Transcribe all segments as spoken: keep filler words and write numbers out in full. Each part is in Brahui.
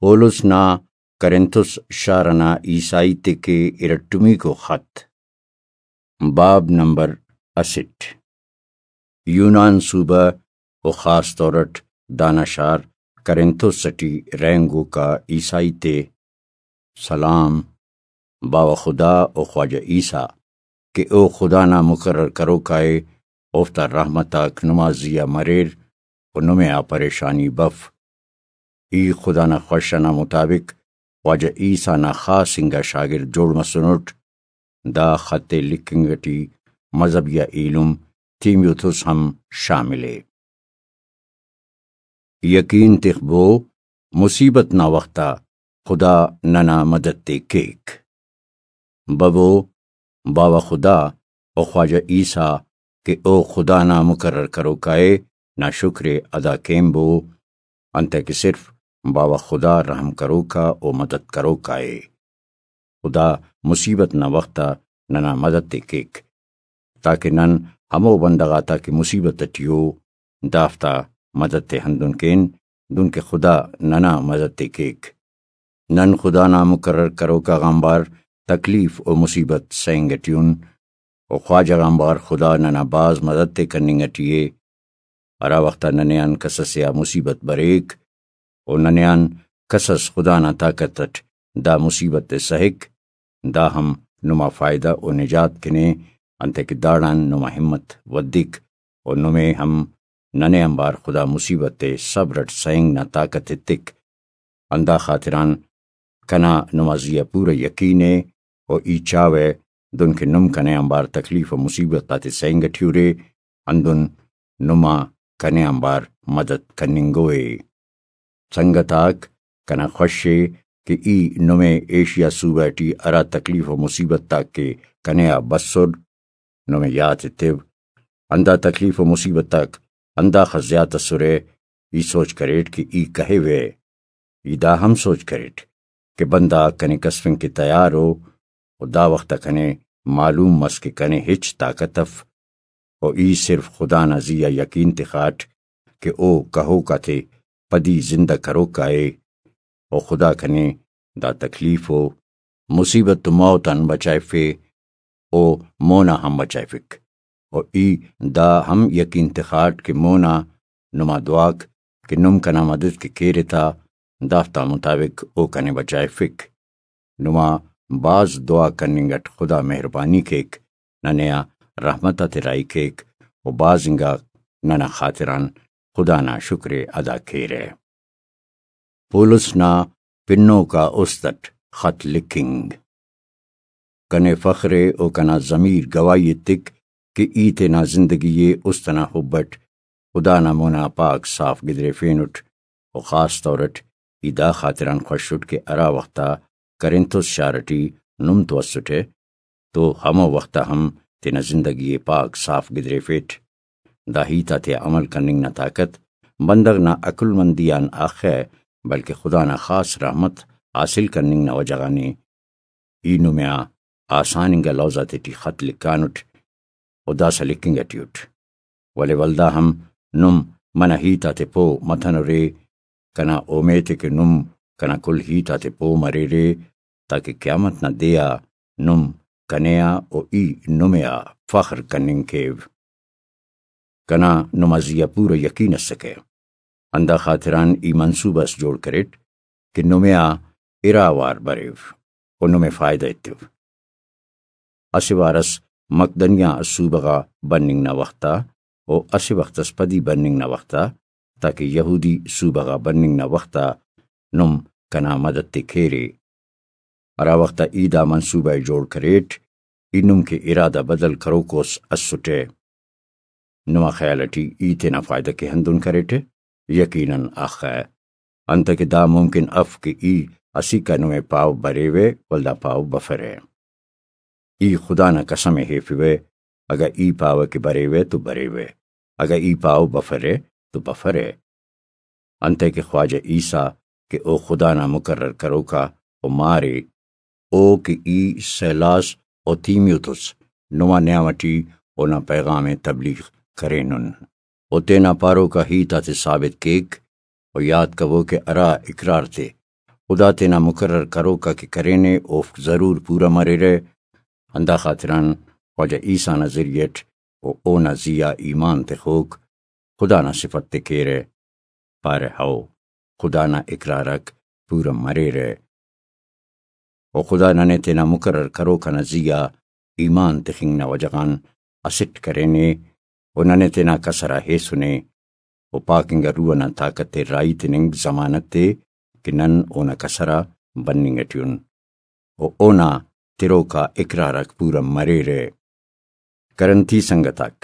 پولس نا کرنتھس شار ئنا عیسائی تے کہ ارٹمیکو خط۔ باب نمبر اسٹ۔ یونان صوبہ و خاص طور اٹ دانا شار کرنتھس ٹی رہینگوکا عیسائی تے سلام۔ باوہ خدا و خواجہ عیسیٰ کہ او خدا نا مقرر کروکا ءِ، اوفتا رحمت آک نما زی آ مریر و نمے آ پریشانی بف۔ ای خدا نا خوش ئنا مطابق خواجہ عیسیٰ نا خاص انگا شاگرد جوڑ مسنٹ۔ دا خط ءِ لکھنگ ٹی مذہبی آ ایلم تیمیوتھس ہم شامل ءِ۔ یقین تخبو، مصیبت نا وخت آ خدا ننا مدد تے کیک۔ ببو، باوہ خدا و خواجہ عیسیٰ کہ او خدا نا مقرر کروکا ءِ، نا شکر ءِ ادا کین بو، انتئے کہ صرف باوہ خدا رحم کروکا و مدد کروکا ءِ۔ خدا مصیبت نا وخت آ ننا مدد تے کیک، تاکہ نن ہمو بندغ آتا کہ مصیبت ٹی او، دافتا مدد تے ہندن کین، دنکہ خدا ننا مدد تے کیک۔ نن خدا نا مقرر کروکا غانبار تکلیف و مصیبت سہنگ ٹی ان، و خواجہ غانبار خدا ننا بھاز مدد تے کننگ ٹی ءِ۔ ہرا وخت آ ننے آن کس ئسے آ مصیبت بریک، و ننے آن کس ئس خدا نا طاقت اٹ دا مصیبت ءِ سہک، دا ہم نما فائدہ و نجات کن ءِ، انتئے کہ داڑان نما ہمت ودک و نمے ہم ننے آنبار خدا مصیبت ءِ صبر اٹ سہنگ نا طاقت ایتک۔ ہندا خاطران کنا نما زی آ پورا یقین ءِ، و ای چاوہ دنکہ نم کنے آنبار تکلیف و مصیبت آتے سہنگ ٹی ارے، ہندن نما کنے آنبار مدد کننگوئے۔ سنگت آک، کنا خوش ءِ کہ ای نمے ایشیا صوبہ ٹی ہرا تکلیف و مصیبت آک کہ کنے آ بسر، نمے یات ایتو۔ ہندا تکلیف و مصیبت آک ہنداخس زیات ئسرہ، ای سوچ کریٹ کہ ای کہیوہ۔ ای دا ہم سوچ کریٹ کہ بندغ آک کنے کسفنگ کہ تیار ءُ، و دا وخت آ کنے معلوم مس کہ کنے ہچ طاقت اف، و ای صرف خدا نا زی آ یقین تخاٹ کہ او کہوک آتے پدی زندہ کروکا ءِ، و خدا کنے دا تکلیف و مصیبت و موت آن بچائفے، او مونا ہم بچائفک۔ و ای دا ہم یقین تخاٹ کہ مونا نما دعاک کہ نم کنا مدد کہ کیرے تا، دافتا مطابق او کنے بچائفک۔ نما بھاز دعا کننگ اٹ خدا مہربانی کیک، ننے آ رحمت آتے راہی کیک، و بھاز انگا ننا خاطران خدا نا شکر ءِ ادا کیرہ۔ پولس نا پنوکا است اٹ خط لکھنگ۔ کنے فخر ءِ و کنا ضمیر گواہی ایتک کہ ای تینا زندگی ءِ است ئنا حب اٹ خدا نا مونا پاک صاف گدریفینٹ، و خاص طور اٹ ای دا خاطران خوش اٹ کہ ہرا وخت آ کرنتھس شار ٹی نم تو اسٹہ، تو ہمو وخت آ ہم تینا زندگی ءِ پاک صاف گدریفیٹ۔ دا ہیت آتیا عمل کننگ نا طاقت بندغ نا عقل مندی آن اخہ، بلکہ خدا نا خاص رحمت حاصل کننگ نا وجہ غان ءِ۔ ای نمے آ آسان انگا لوز آتیٹی خط لکھانٹ، و داسہ لکھنگ ٹی اٹ۔ ولے ولدا ہم نم منہ ہیت آتے پہہ متنرے۔ کنا اومیت ءِ کہ نم کنا کل ہیت آتے پہہ مریرے، تاکہ قیامت نا دے آ نم کنے آ و ای نمے آ فخر کننگ کیو۔ کنا نما زی آ پورا یقین اسکہ، ہندا خاطران ای منصوبہ اس جوڑ کریٹ کہ نمے آ ارا وار بریو و نمے فائدہ ایتو۔ اسہ وار اس مقدنیہ صوبہ غا بننگ نا وخت آ و اسہ وخت اس پدی بننگ نا وخت آ، تاکہ یہودی صوبہ غا بننگ نا وخت آ نم کنا مدد تے کیرے۔ ہرا وخت آ ای دا منصوبہ ءِ جوڑ کریٹ، ای نم کہ ارادہ بدل کروکوس اسٹہ۔ نما خیال ٹی ای تینا فائدہ کہ ہندن کریٹہ؟ یقیناً اخہ۔ انتئے کہ دا ممکن اف کہ ای اسیکا نمے پاو بریوہ، ولدا پاو بفرہ۔ ای خدا نا قسم ءِ ہیفوہ، اگہ ای پاوہ کہ بریوہ تو بریوہ، اگہ ای پاو بفرہ تو بفرہ۔ انتئے کہ خواجہ عیسیٰ کہ او خدا نا مقرر کروکا و مارے، او کہ ای سیلاس و تیمیوتس نما نیام ٹی اونا پیغام ءِ تبلیغ کرینن۔ او تینا پاروکا ہیت آتے ثابت کیک، و یات کبو کہ ہرا اقرار تے خدا تینا مقرر کروک آ کہ کرینے، اوفک ضرور پورہ مریرہ۔ ہندا خاطران خواجہ عیسیٰ نا ذریعہ اٹ و اونا زی آ ایمان تخوک خدا نا صفت تے کیرہ، پارہ، ہئو، خدا نا اقرار آک پورہ مریرہ۔ و خدا ننے تینا مقرر کروک آ نا زی آ ایمان تخنگ نا وجہ غان اسٹ کرینے و ننے تینا کسر آ ہیسنے و پاک انگا روح ئنا طاقت ءِ راہی تننگ ضمانت ءِ کہ نن اونا کسر آ بننگ ئٹی ان و اونا تروک آ اقرار آک پورہ مریرہ۔ کرنتی سنگت آک،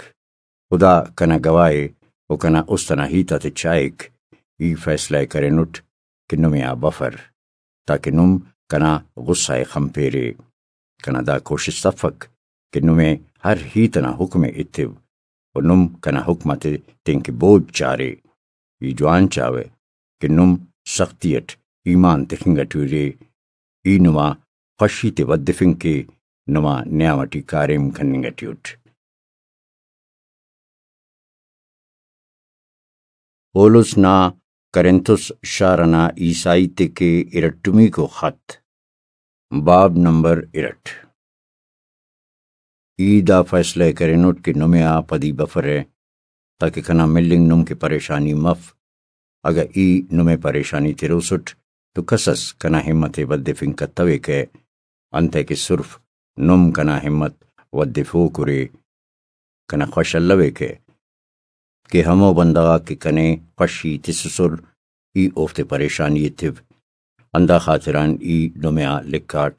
خدا کنا گواہ ءِ و کنا است ئنا ہیت آتے چائک، ای فیصلہ ءِ کرینٹ کہ نمے آ بفر، تاکہ نم کنا غصہ ءِ خنپیرے۔ کنا دا کوشست افک کہ نمے ہر ہیت ئنا حکم ءِ ایتو و نم کنا حکم آتے تینکہ بوج چارے۔ ای جوان چاوہ کہ نم سختی ئٹ ایمان تخنگ ئٹی ارے۔ ای نما خوشی تے ودفنگ کے، نما نیام ئٹی کاریم کننگ ئٹی اٹ۔ پولس نا کرنتس شار ئنا عیسائی تے کہ ارٹمیکو خط، باب نمبر ارٹ۔ ای دا فیصلہ ءِ کرینٹ کہ نمے آ پدی بفرہ، تاکہ کنا ملنگ نم کہ پریشانی مف۔ اگہ ای نمے پریشانی تروسٹ تو کس ئس کنا ہمت ءِ ودفنگ کتویکہ، انتئے کہ صرف نم کنا ہمت ودفوک ارے۔ کنا خوش الویکہ کہ ہمو بندغ آک کہ کنے خوشی تسسر، ای اوفتے پریشانی ایتو۔ ہندا خاطران ای نمے آ لکھاٹ،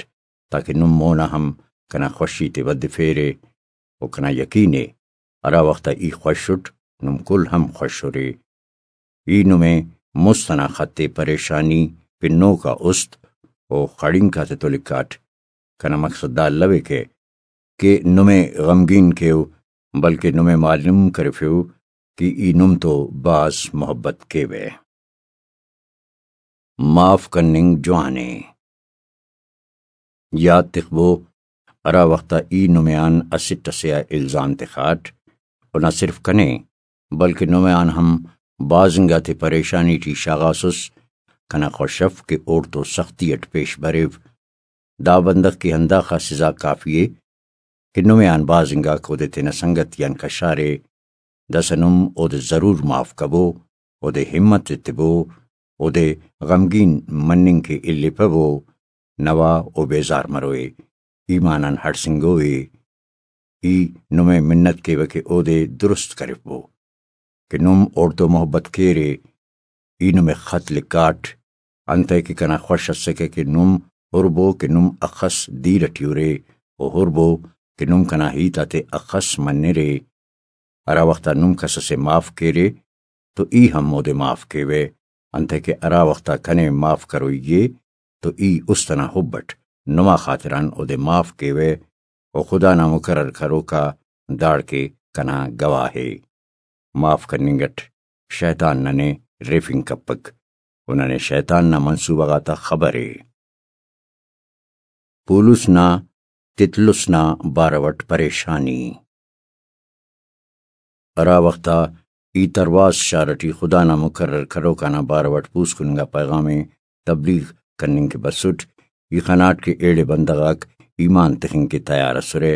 تاکہ نم مونا ہم کنا خوشی تے ودفیرے و کنا یقین ءِ ہرا وخت آ ای خوش اٹ، نم کل ہم خوش ارے۔ ای نمے مست ئنا خط ءِ پریشانی پنوک آ است و خڑینک آتتو لکھاٹ۔ کنا مقصد دا الویکہ کہ نمے غمگین کیو، بلکہ نمے معلوم کرفیو کہ ای نم تو بھاز محبت کیوہ۔ معاف کننگ جوان ءِ۔ یات تخبو، ہرا وخت آ ای نمے آن اسٹ ئسے آ الزام تخاٹ، و نہ صرف کنے، بلکہ نمے آن ہم بھاز انگا تے پریشانی ٹی شاغاسس، کنا خوش اف کہ اوڑتو سختی اٹ پیش بریو۔ دا بندغ کہ ہنداخہ سزا کافی ءِ کہ نمے آن بھاز انگاک اودے تینا سنگتیان کشارے، داسہ نم اودے ضرور معاف کبو، اودے ہمت ایتبو، اودے غمگین مننگ کہ الیپبو، نوا او بیزار مروئے، ایمان آن ہڑسنگوئے۔ ای نمے منت کیوہ کہ اودے درست کرفبو۔ کہ نم اوڑتو محبت کیرے۔ ای نمے خط لکھاٹ، انتئے کہ کنا خوش اسکہ کہ نم ہربو کہ نم اخس دیر ٹی ارے، و ہربو کہ نم کنا ہیت آتے اخس منرے۔ ہرا وخت آ نم کس ئسے معاف کیرے تو ای ہم اودے معاف کیوہ، انتئے کہ ہرا وخت آ کنے معاف کروئی ءِ تو ای است ئنا حب اٹ نما خاطران اودے معاف کیوہ، و خدا نا مقرر کروک آ داڑکہ کنا گواہ ءِ۔ معاف کننگ اٹ شیطان ننے ریفنگ کپک، و ننے شیطان نا منصوبہ غاتا خبر ءِ۔ پولس نا تطلس نا بارو اٹ پریشانی۔ ہرا وخت آ ای ترواس شار ٹی خدا نا مقرر کروک آنا بارو اٹ پوسکن انگا پیغام ءِ تبلیغ کننگ کہ بسٹ، ای خناٹ کہ ایڑے بندغ آک ایمان تخنگ کہ تیار ئسرہ،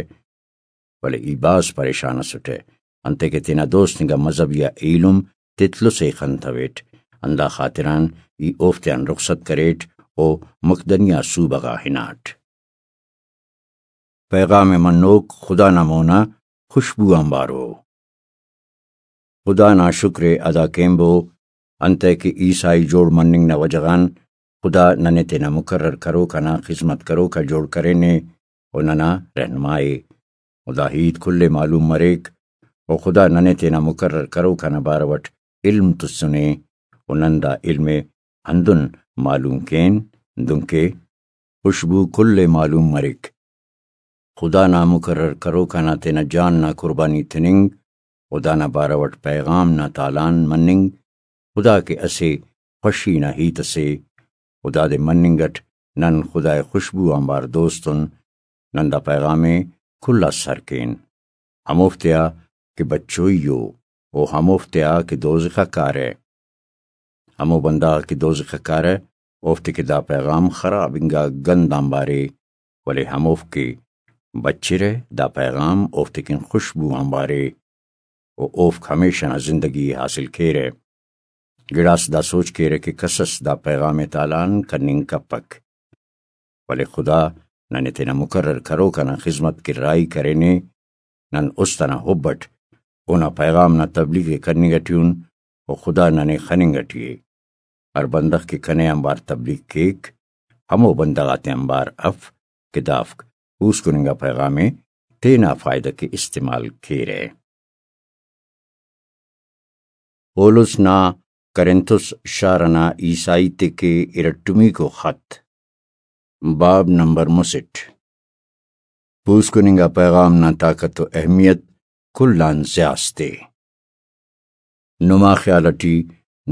ولے ای بھاز پریشان ئسٹہ، انتئے کہ تینا دوست انگا مذہبی آ ایلم تطلس ءِ خنتویٹ، ہندا خاطران ای اوفتیان رخصت کریٹ و مقدنیہ صوبہ غا ہناٹ۔ پیغام ءِ منوک خدا نا مونا خوشبو آنبارو۔ خدا نا شکر ءِ ادا کینبو، انتئے کہ عیسائی جوڑ مننگ نا وجہ غان خدا ننے تینا مقرر کروک آنا خذمت کروک آ جوڑ کرینے و ننا رہنما ءِ۔ و دا ہیت کل ءِ معلوم مریک، و خدا ننے تینا مقرر کروک آنا بارو اٹ علم تسنے، و نن دا علم ءِ ہندن معلوم کین، دنکہ خوشبو کل ءِ معلوم مریک۔ خدا نا مقرر کروک آنا تینا جان نا قربانی تننگ و دانا بارو اٹ پیغام نا تالان مننگ خدا کہ اسہ خوشی نا ہیت اسے، و دادے مننگ اٹ نن خدا ءِ خوشبو آنبار دوست ان۔ نن دا پیغام ءِ کل آ سر کین، ہموفتیا کہ بچوئی ءُ، و ہموفتیا کہ دوزخ آ کارہ۔ ہمو بندغ آک کہ دوزخ آ کارہ، اوفتے کہ دا پیغام خراب انگا گند آنبار ءِ، ولے ہموفک کہ بچرہ، دا پیغام اوفتے کن خوشبو آنبار ءِ، و اوفک ہمیشہ نا زندگی ءِ حاصل کیرہ۔ گڑاس دا سوچ کیرہ کہ کسس دا پیغام ءِ تالان کننگ کپک۔ ولے خدا ننے تینا مقرر کروک انا خذمت کن راہی کرینے۔ نن است انا حب اٹ اونا پیغام نا تبلیغ ءِ کننگ اٹی ان، و خدا ننے خننگ اٹی ءِ۔ ہر بندغ کہ کنے آنبار تبلیغ کیک، ہمو بندغ آتے آنبار اف کہ دافک پوسکن انگا پیغام ءِ تینا فائدہ کہ استعمال کیرہ۔ پولس نا کرنتس شار انا عیسائی تے کہ ارٹمیکو خط، باب نمبر مسٹ۔ پوسکن انگا پیغام نا طاقت و اہمیت کل آن زیاس تے۔ نما خیال اٹی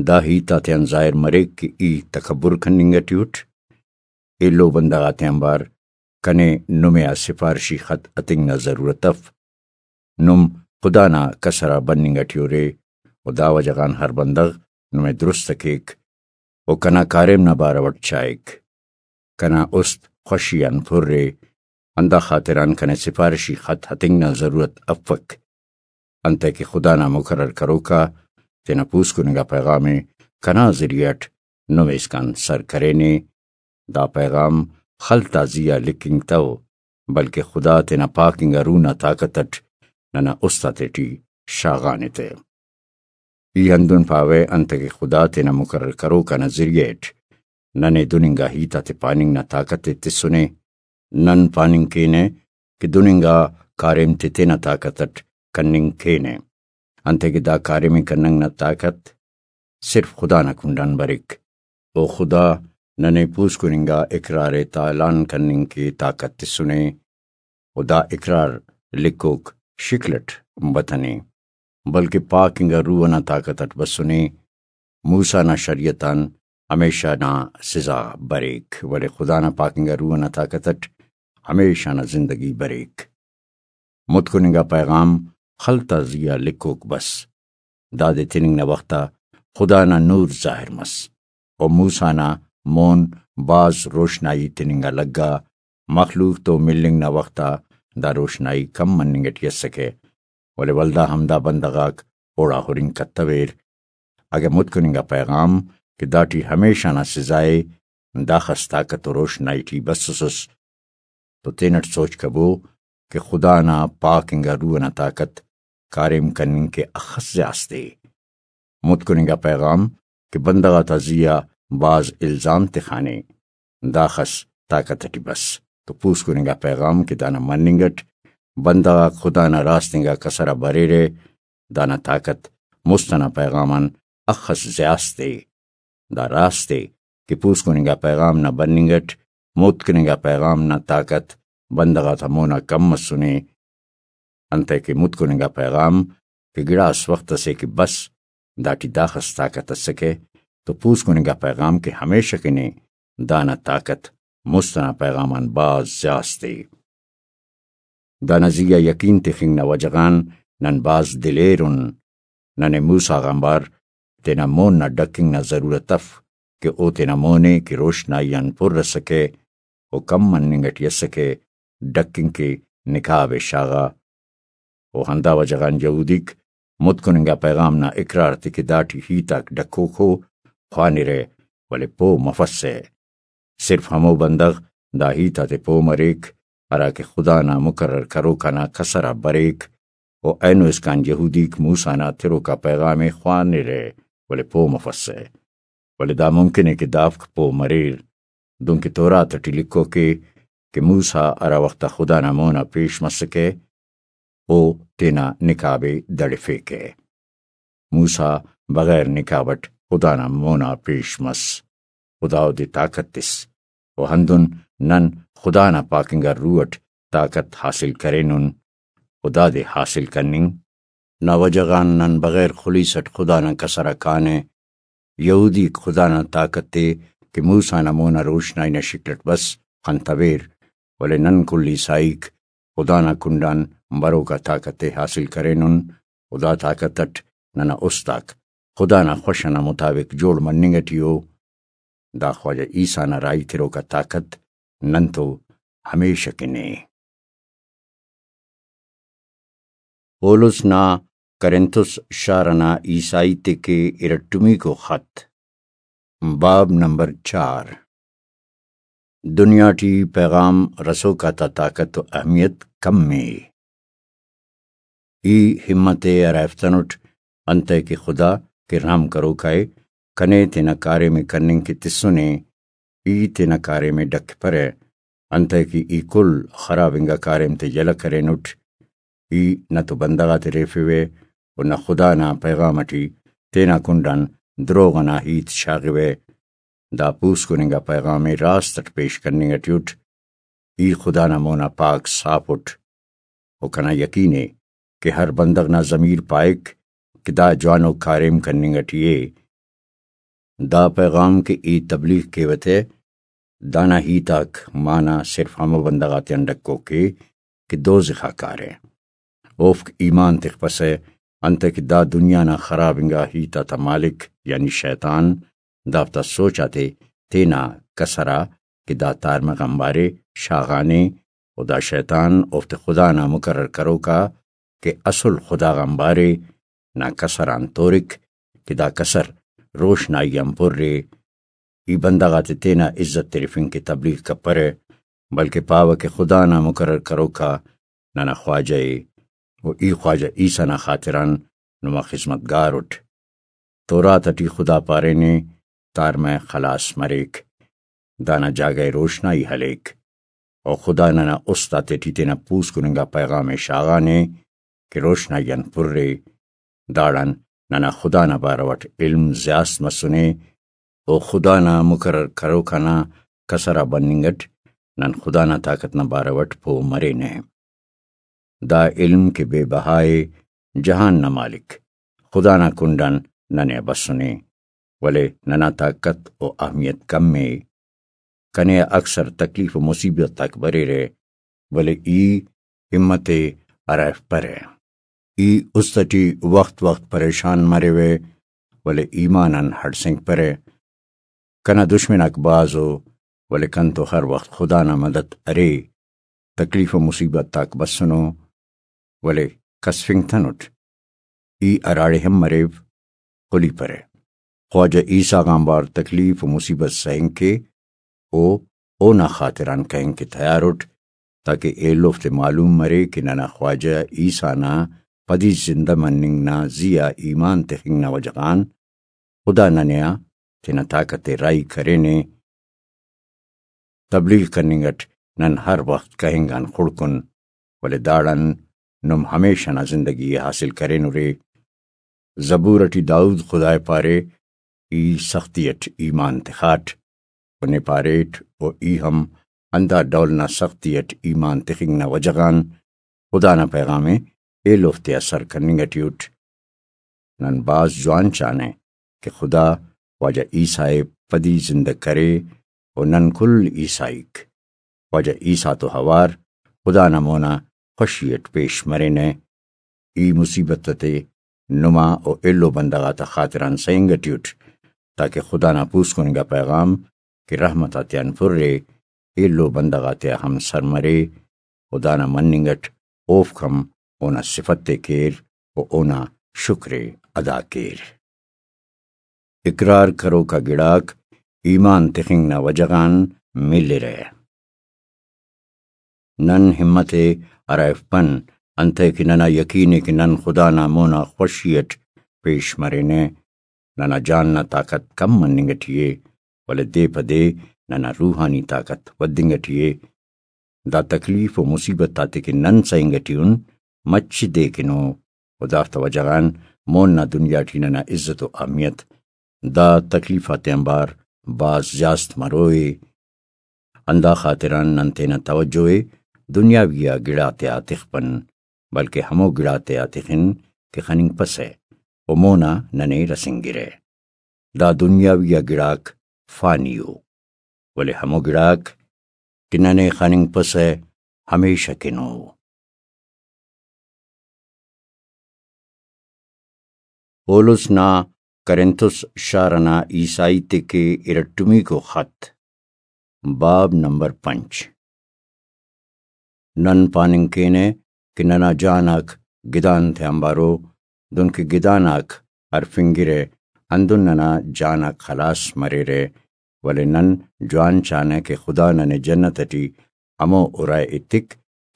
دا ہیت آتیان ظاہر مریک کہ ای تکبر کننگ اٹی اٹ۔ ایلو بندغ آتیان بار کنے نمے آ سفارشی خط ہتنگ نا ضرورت اف۔ نم خدا نا کسر آ بننگ اٹی ارے، و دا وجہ غان ہر بندغ نمے درست کیک و کنا کاریم نا بارو اٹ چائک۔ کنا است خوشی آن پر ءِ، ہندا خاطران کنے سفارشی خط ہتنگ نا ضرورت افک، انتئے کہ خدا نا مقرر کروکا تینا پوسکن انگا پیغام ءِ کنا ذریعہ اٹ نمے اسکان سر کرینے۔ دا پیغام خل تا زی آ لکھنگتو، بلکہ خدا تینا پاک انگا روح نا طاقت اٹ ننا است آتیٹی شاغانے تے۔ ای ہندن پاوہ، انتئے کہ خدا تینا مقرر کروک آ نا ذریعہ اٹ ننے دن انگا ہیت آتے پاننگ نا طاقت ءِ تسنے۔ نن پاننگ کینہ کہ دن انگا کاریم تے تینا طاقت اٹ کننگ کینہ، انتئے کہ دا کاریم ءِ کننگ نا طاقت صرف خدا نا کنڈان بریک۔ او خدا ننے پوسکن انگا اقرار ءِ تالان کننگ کے طاقت تسنے، و دا اقرار لکھوک شکل اٹ بتنے، بلکہ پاک انگا روح نا طاقت اٹ بسنے۔ موسیٰ نا شریعت آن ہمیشہ نا سزا بریک، ولے خدا نا پاک انگا روح نا طاقت اٹ ہمیشہ نا زندگی بریک۔ متکن انگا پیغام خل تا زی آ لکھوک بس۔ دادے تننگ نا وخت آ خدا نا نور ظاہر مس، و موسیٰ نا مون بھاز روشنائی تننگ آ لگا۔ مخلوق تو ملنگ نا وخت آ دا روشنائی کم مننگ اٹی اسکہ، ولے ولدا ہم دا بندغ آک اوڑا ہرنگ کتویر۔ اگہ متکن انگا پیغام کہ داٹی ہمیشہ نا سزا ءِ داخس طاقت و روشنائی ٹی بسوسس، تو تینٹ سوچ کبو کہ خدا نا پاک انگا روح نا طاقت کاریم کننگ کہ اخس زیاس تے۔ متکن انگا پیغام کہ بندغ آتا زی آ بھاز الزام تخانے، داخس طاقت اٹی بس۔ تو پوسکن انگا پیغام کہ دانا مننگ اٹ بندغ آک خدا نا راست انگا کسر آ بریرہ، دانا طاقت مست انا پیغام آن اخس زیاس تے۔ دا راست ءِ کہ پوسکن انگا پیغام نا بننگ اٹ متکن انگا پیغام نا طاقت بندغ آتا مونا کم مسنے، انتئے کہ متکن انگا پیغام کہ گڑاس وخت اسے کہ بس داٹی داخس طاقت اسکہ، تو پوسکن انگا پیغام کہ ہمیشہ کنے دانا طاقت مست انا پیغام آن بھاز زیاس تے۔ دانا زی آ یقین تخنگ نا وجہ غان نن بھاز دلیر ان۔ ننے موسیٰ غان بار تینا مون نا ڈکنگ نا ضرورت اف کہ او تینا مون ءِ کہ روشنائی آن پر اسکہ و کم مننگ اٹی اسکہ، ڈکنگ کے نقاب ءِ شاغا۔ و ہندا وجہ غان یہودیک متکن انگا پیغام نا اقرار تے کہ داٹی ہیت آک ڈکوک ءُ خوانرہ، ولے پہہ مفسہ۔ صرف ہمو بندغ دا ہیت آتے پہہ مریک، ہرا کہ خدا نا مقرر کروک آ نا کسر آ بریک، و اینو اسکان یہودیک موسیٰ نا تروکا پیغام ءِ خوانرہ، ولے پہہ مفسہ۔ ولے دا ممکن ءِ کہ دافک پہہ مریر، دنکہ تورات ٹی لکھوک ءِ کہ موسیٰ ہرا وخت آ خدا نا مون آ پیش مسکہ، او تینا نقاب ءِ دڑفیکہ۔ موسیٰ بغیر نقاب اٹ خدا نا مون آ پیش مس۔ خدا اودے طاقت تس۔ و ہندن نن خدا نا پاک انگا روح اٹ طاقت حاصل کرینن۔ و دادے حاصل کننگ نا وجہ غان نن بغیر خلیس اٹ خدا نا کسر آ کانہ۔ یہودیک خدا نا طاقت ءِ کہ موسیٰ نا مون آ روشنائی نا شکل اٹ بس خنتویر، ولے نن کل عیسائیک خدا نا کنڈان بروک آ طاقت ءِ حاصل کرینن، و دا طاقت اٹ ننا است آک خدا نا خوش ئنا مطابق جوڑ مننگ اٹی ءُ۔ دا خواجہ عیسیٰ نا راہی تروک آ طاقت نن تو ہمیشہ کن ءِ۔ پولس نا کرنتس شار ئنا عیسائی تے کہ ارٹمیکو خط۔ باب نمبر چار۔ دنیا ٹی پیغام رسوک آتا طاقت و اہمیت کم ءِ۔ ای ہمت ءِ ہرائفتنٹ، انتئے کہ خدا کہ رحم کروکا ءِ، کنے تینا کاریم ءِ کننگ کہ تسنے۔ ای تینا کاریم ءِ ڈکپرہ، انتئے کہ ای کل خراب انگا کاریم تے یلہ کرینٹ۔ ای نہ تو بندغ آتے ریفوہ و نہ خدا نا پیغام اٹی تینا کنڈ آن دروغ ئنا ہیت شاغوہ۔ دا پوسکن انگا پیغام ءِ راست اٹ پیش کننگ اٹی اٹ۔ ای خدا نا مونا پاک صاف اٹ۔ و کنا یقین ءِ کہ ہر بندغ نا ضمیر پائک کہ دا جوانو کاریم کننگ اٹی ءِ۔ دا پیغام کہ ای تبلیغ کیوہ تہ، دانا ہیت آک معنی صرف ہمو بندغ آتیان ڈکوک ءِ کہ دوزخ آ کارہ۔ اوفک ایمان تخپسہ، انتئے کہ دا دنیا نا خراب انگا ہیت آتا مالک یعنی شیطان دافتا سوچ آتے تینا کسر آ کہ دا تارمہ غان بارے شاغانے، و دا شیطان اوفتے خدا نا مقرر کروکا کہ اسل خدا غان بارے نا کسر آن تورک کہ دا کسر روشنائی آن پر ءِ۔ ای بندغ آتے تینا عزت ترفنگ کہ تبلیغ کپرہ، بلکہ پاوہ کہ خدا نا مقرر کروکا ننا خواجہ ءِ، و ای خواجہ عیسیٰ نا خاطران نما خذمتگار اٹ۔ تورات اٹی خدا پارینے، تارمہ خلاس مریک، دانا جاگہ ءِ روشنائی ہلیک۔ و خدا ننا است آتیٹی تینا پوسکن انگا پیغام ءِ شاغانے کہ روشنائی آن پر ءِ۔ داڑان ننا خدا نا بارو اٹ علم زیاست مسنے، و خدا نا مقرر کروک آنا کسر آ بننگ اٹ نن خدا نا طاقت نا بارو اٹ پہہ مرینہ۔ دا علم کہ بے بہا ءِ، جہان نا مالک خدا نا کنڈ آن ننے آ بسنے، ولے ننا طاقت و اہمیت کم ءِ۔ کنے آ اکثر تکلیف و مصیبت آک بریرہ، ولے ای ہمت ءِ ہرائفپرہ۔ ای است ٹی وخت وخت پریشان مریوہ، ولے ایمان آن ہڑسینگپرہ۔ کنا دشمن آک بھاز ءُ، ولے کن تو ہر وخت خدا نا مدد ارے۔ تکلیف و مصیبت آک بسنو، ولے کسفنگتنٹ۔ ای ہراڑے ہم مریو، خلیپرہ۔ خواجہ عیسیٰ غان بار تکلیف و مصیبت سہنگ کے، او اونا خاطران کہنگ کہ تیار اٹ، تاکہ ایلوفتے معلوم مرے کہ ننا خواجہ عیسیٰ نا پدی زندہ مننگ نا زی آ ایمان تخنگ نا وجہ غان خدا ننے آ تینا طاقت ءِ راہی کرینے۔ تبلیغ کننگ اٹ نن ہر وخت کہنگ آن خڑکن، ولے داڑان نم ہمیشہ نا زندگی ءِ حاصل کرینرے۔ زبور اٹی داؤد خدا ءِ پارے، ای سختی اٹ ایمان تخاٹ، و نے پاریٹ، و ای ہم ہندا ڈول نا سختی اٹ ایمان تخنگ نا وجہ غان خدا نا پیغام ءِ ایلوفتے آ سر کننگ اٹی اٹ۔ نن بھاز جوان چانہ کہ خدا خواجہ عیسیٰ ءِ پدی زندہ کرے، و نن کل عیسائیک خواجہ عیسیٰ تو اوار خدا نا مونا خوشی اٹ پیش مرینہ۔ ای مصیبت تے نما و ایلو بندغ آتا خاطران سہنگ اٹی اٹ، تاکہ خدا نا پوسکن انگا پیغام کہ رحمت آتیان پُر ءِ، ایلو بندغ آتیا ہم سر مرے، و دانا مننگ اٹ اوفک ہم اونا صفت ءِ کیر و اونا شکر ءِ ادا کیر۔ اقرار کروکا گڑاک ایمان تخنگ نا وجہ غان ملرہ۔ نن ہمت ءِ ہرائفپن، انتئے کہ ننا یقین ءِ کہ نن خدا نا مونا خوشی اٹ پیش مرینہ۔ ننا جان نا طاقت کم مننگ اٹی ءِ، ولے دے پہ دے ننا روحانی طاقت ودنگ اٹی ءِ۔ دا تکلیف و مصیبت آتے کہ نن سہنگ اٹی ان، مچ دے کن ءُ، و دافتا وجہ غان مون نا دنیا ٹی ننا عزت و اہمیت دا تکلیف آتیان بار بھاز زیاست مروئے۔ ہندا خاطران نن تینا توجہ ءِ دنیاوی آ گڑاتیا تخپن، بلکہ ہمو گڑاتیا تخن کہ خننگپسہ و مونا ننے رسینگرہ۔ دا دنیاوی آ گڑاک فانی ءُ، ولے ہمو گڑاک کہ ننے خننگپسہ ہمیشہ کن ءُ۔ پولس نا کرنتھس شار ئنا عیسائی تے کہ ارٹمیکو خط۔ باب نمبر پنچ۔ نن پاننگ کینہ کہ ننا جان آک گدان تیانبارو، دنکہ گدان آک ہرفنگرہ، ہندن ننا جان آک خلاس مریرہ، ولے نن جوان چانہ کہ خدا ننے جنت ٹی ہمو ارائے ایتک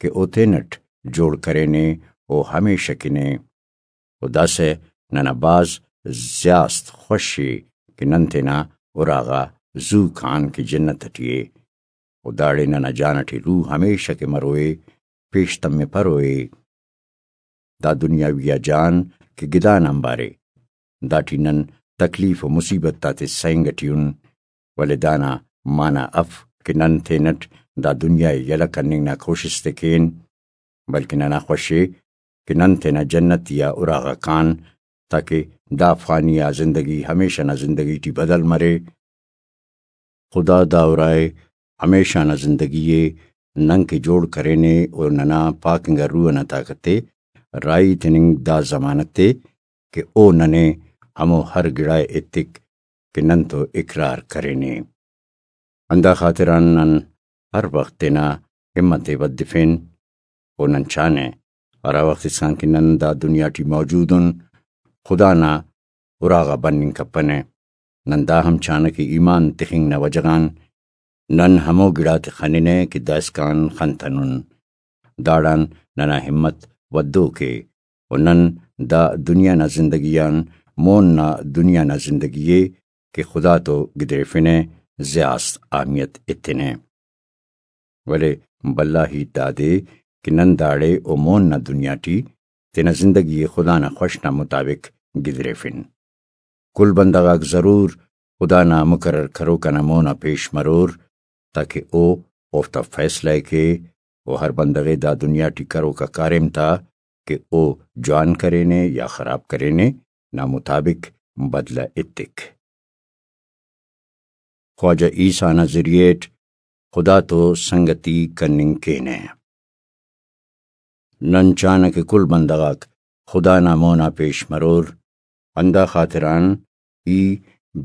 کہ او تینٹ جوڑ کرینے، او ہمیشہ کنے۔ و داسہ ننا بھاز زیاست خوش ءِ کہ نن تینا اراغا زو کان کہ جنت ٹی ءِ، و داڑے ننا جان ٹی روح ہمیشہ کہ مروئے، پیش تمپروئے۔ دا دنیاوی آ جان کہ گدان آنبارے، داٹی نن تکلیف و مصیبت آتے سہنگ ٹی ان، ولے دانا معنی اف کہ نن تینٹ دا دنیا ءِ یلہ کننگ نا کوشست ءِ کین، بلکہ ننا خوش ءِ کہ نن تینا جنتی آ اراغا کان، تاکہ دا فانی آ زندگی ہمیشہ نا زندگی ٹی بدل مرے۔ خدا دا ارائے ہمیشہ نا زندگی ءِ نن کہ جوڑ کرینے، و ننا پاک انگا روح ئنا طاقت ءِ راہی تننگ دا ضمانت ءِ کہ او ننے ہمو ہر گڑائے ایتک کہ نن تو اقرار کرینے۔ ہندا خاطران نن ہر وخت تینا ہمت ءِ ودفین، و نن چانہ ہرا وخت اسکان کہ نن دا دنیا ٹی موجود ان، خدا نا اراغا بننگ کپنہ۔ نن دا ہم چانہ کہ ایمان تخنگ نا وجہ غان نن ہمو گڑاتے خننہ کہ دائسکان خنتنن۔ داڑان ننا ہمت ودوک ءِ، و نن دا دنیا نا زندگی آن مون نا دنیا نا زندگی ءِ کہ خدا تو گدریفنہ، زیاست اہمیت ایتنہ۔ ولے بھلا ہیت دادے کہ نن داڑے و مون نا دنیا ٹی تینا زندگی ءِ خدا نا خوش نا مطابق گدریفن۔ کل بندغ آک ضرور خدا نا مقرر کروک آ نا مون آ پیش مرور، تاکہ او اوفتا فیصلہ ءِ کے، و ہر بندغ ءِ دا دنیا ٹی کروک آ کاریم تا کہ او جوان کرینے یا خراب کرینے نا مطابق بدلہ ایتک۔ خواجہ عیسیٰ نا ذریعہ اٹ خدا تو سنگتی کننگ کینہ۔ نن چانہ کہ کل بندغ آک خدا نا مون آ پیش مرور، ہندا خاطران ای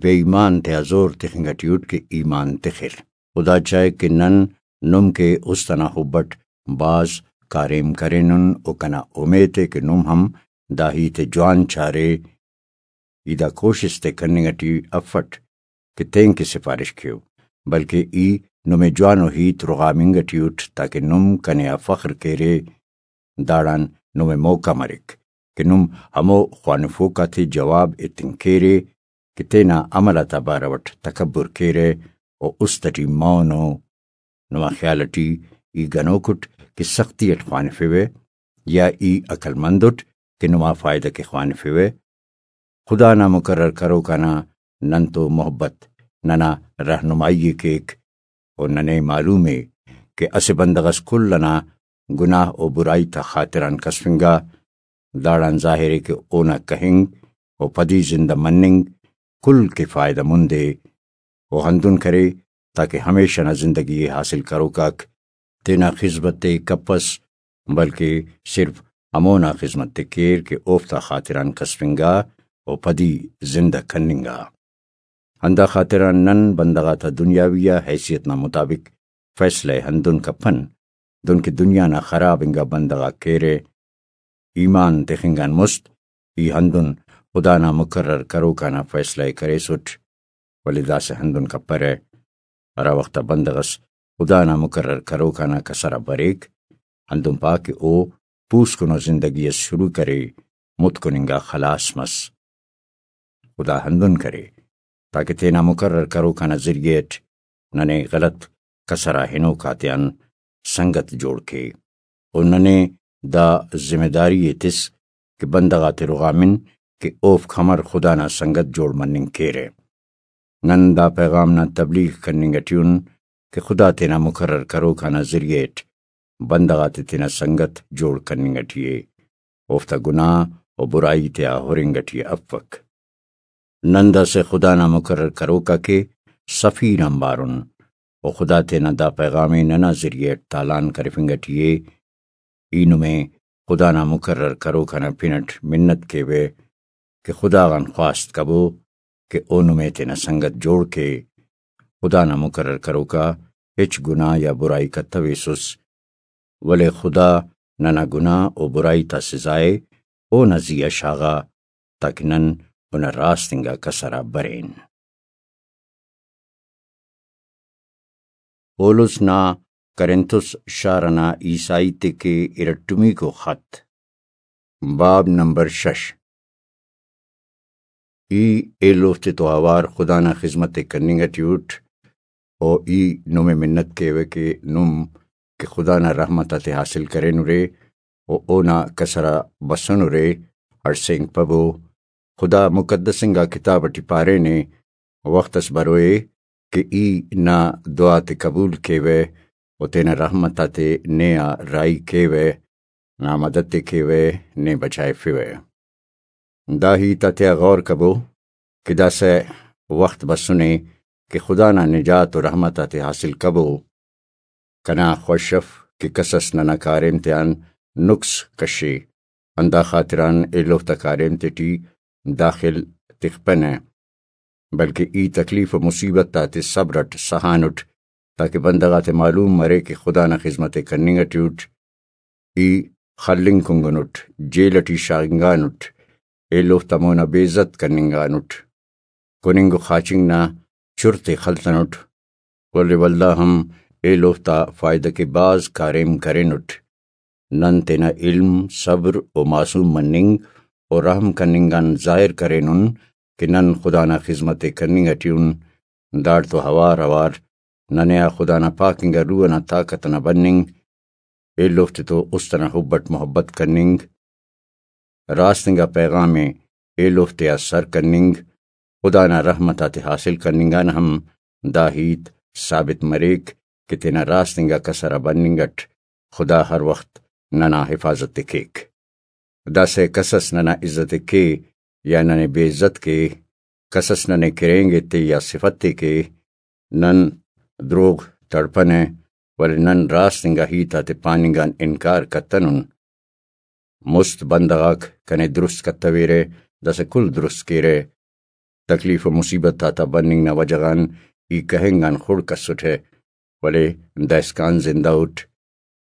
بے ایمان تیا زور تخنگ ٹی اٹ کہ ایمان تخر۔ خدا چاہک کہ نن نم کہ است ئنا حب اٹ بھاز کاریم کرینن، و کنا اومیت ءِ کہ نم ہم دا ہیت ءِ جوان چارے۔ ای دا کوشست ءِ کننگ ٹی افٹ کہ تینکہ سفارش کیو، بلکہ ای نمے جوانو ہیت رغامنگ ٹی اٹ، تاکہ نم کنے آ فخر کیرے۔ داڑان نمے موقع مریک کہ نم ہمو خوانفوک آتے جواب ایتنگ کیرے کہ تینا عمل آتا بارو اٹ تکبر کیرہ و است ٹی مونو۔ نما خیال ٹی ای گنوک اٹ کہ سختی اٹ خوانفیوہ، یا ای عقل مند اٹ کہ نما فائدہ کہ خوانفیوہ؟ خدا نا مقرر کروک آ نا نن تو محبت ننا رہنمائی ءِ کیک، و ننے معلوم ءِ کہ اسہ بندغ اس کل ئنا گناہ و برائی تا خاطران کسفنگا، داڑان ظاہر ءِ کہ اونا کہنگ و پدی زندہ مننگ کل کہ فائدہ مند ءِ۔ و ہندن کرے تاکہ ہمیشہ نا زندگی ءِ حاصل کروک آک تینا خذمت ءِ کپس، بلکہ صرف ہمونا خذمت ءِ کیر کہ اوفتا خاطران کسفنگا و پدی زندہ کننگا۔ ہندا خاطران نن بندغ آتا دنیاوی آ حیثیت نا مطابق فیصلہ ءِ ہندن کپن، دنکہ دنیا نا خراب انگا بندغ آک کیرہ۔ ایمان تخنگ آن مست ای ہندن خدا نا مقرر کروک آ نا فیصلہ ءِ کریسٹ، ولے داسہ ہندن کپرہ، ہرا وخت آ بندغ اس خدا نا مقرر کروک آ نا کسر آ بریک، ہندن پا کہ او پوسکنو زندگی اس شروع کرے، متکن انگا خلاس مس۔ خدا ہندن کرے تاکہ تینا مقرر کروک آ نا ذریعہ اٹ ننے غلط کسر آ ہنوک آتیان سنگت جوڑ کے، و ننے دا ذمہ داری ءِ تس کہ بندغ آتے رغامن کہ اوفک امر خدا نا سنگت جوڑ مننگ کیرہ۔ نن دا پیغام نا تبلیغ کننگ ٹی ان کہ خدا تینا مقرر کروک آ نا ذریعہ اٹ بندغ آتے تینا سنگت جوڑ کننگ ٹی ءِ، اوفتا گناہ و برائی تیا ہرنگ ٹی افک۔ نن داسہ خدا نا مقرر کروک آ کہ سفیر آنبار ان، و خدا تینا دا پیغام ءِ ننا ذریعہ اٹ تالان کرفنگ ٹی ءِ۔ ای نمے خدا نا مقرر کروک آ نا پن اٹ منت کیوہ، کہ خدا غان خواست کبو کہ او نمے تینا سنگت جوڑ کے۔ خدا نا مقرر کروکا ہچ گناہ یا برائی کتویسس، ولے خدا ننا گناہ و برائی تا سزا ءِ اونا زی آ شاغا، تاکہ نن اونا راست انگا کسر آ برین۔ پولس نا کرنتس شار انا عیسائی تے کے ارٹمیکو خط۔ باب نمبر شش۔ ای ایلو تتو اوار خدا نا خذمت ءِ کننگ اٹی اٹ، و ای نمے منت کیوہ کہ نم کہ خدا نا رحمت آتے حاصل کرینرے و اونا کسر آ بسنرے، ہڑسینگ پبو۔ خدا مقدس انگا کتاب اٹی پارینے، وخت اس بروئے کہ ای نا دعا تے قبول کیوہ و تینا رحمت آتے نے آ راہی کیوہ، نا مدد تے کیوہ، نے بچائفوہ۔ دا ہیت آتیا غور کبو کہ داسہ وخت بسنے کہ خدا نا نجات و رحمت آتے حاصل کبو۔ کنا خوش اف کہ کسس ننا کاریم تیان نقص کشے، ہندا خاطران ایلوفتا کاریم تیٹی داخل تخپنہ، بلکہ ای تکلیف و مصیبت آتے صبر اٹ سہانٹ، تاکہ بندغ آتے معلوم مرے کہ خدا نا خذمت ءِ کننگ اٹی اٹ۔ ای خلنگ کنگنٹ، جیل اٹی شاغنگانٹ، ایلوفتا مونا بے عزت کننگانٹ، کننگ و خاچنگ نا چرتے خلتنٹ، ولے ولدا ہم ایلوفتا فائدہ کے بھاز کاریم کرینٹ۔ نن تینا علم، صبر و معصوم مننگ و رحم کننگ آن ظاہر کرینن کہ نن خدا نا خذمت ءِ کننگ اٹی ان۔ داڑتو اوار اوار ننے آ خدا نا پاک انگا روح انا طاقت انا بننگ، ایلوفتے تو است انا حب اٹ محبت کننگ، راست انگا پیغام ءِ ایلوفتے آ سر کننگ، خدا نا رحمت آتے حاصل کننگ آن ہم دا ہیت ثابت مریک کہ تینا راست انگا کسر آ بننگ اٹ خدا ہر وخت ننا حفاظت ءِ کیک۔ داسہ کسس ننا عزت ءِ کے یا ننے بے عزت کے، کسس ننے کرینگ ایتے یا صفت تے کے، نن دروغ تڑپنہ، ولے نن راست انگا ہیت آتے پاننگ آن انکار کتنن۔ مست بندغ آک کنے درست کتویرہ، داسہ کل درست کیرہ۔ تکلیف و مصیبت آتا بننگ نا وجہ غان ای کہنگ آن خڑک ئسٹہ، ولے دائسکان زندہ اٹ۔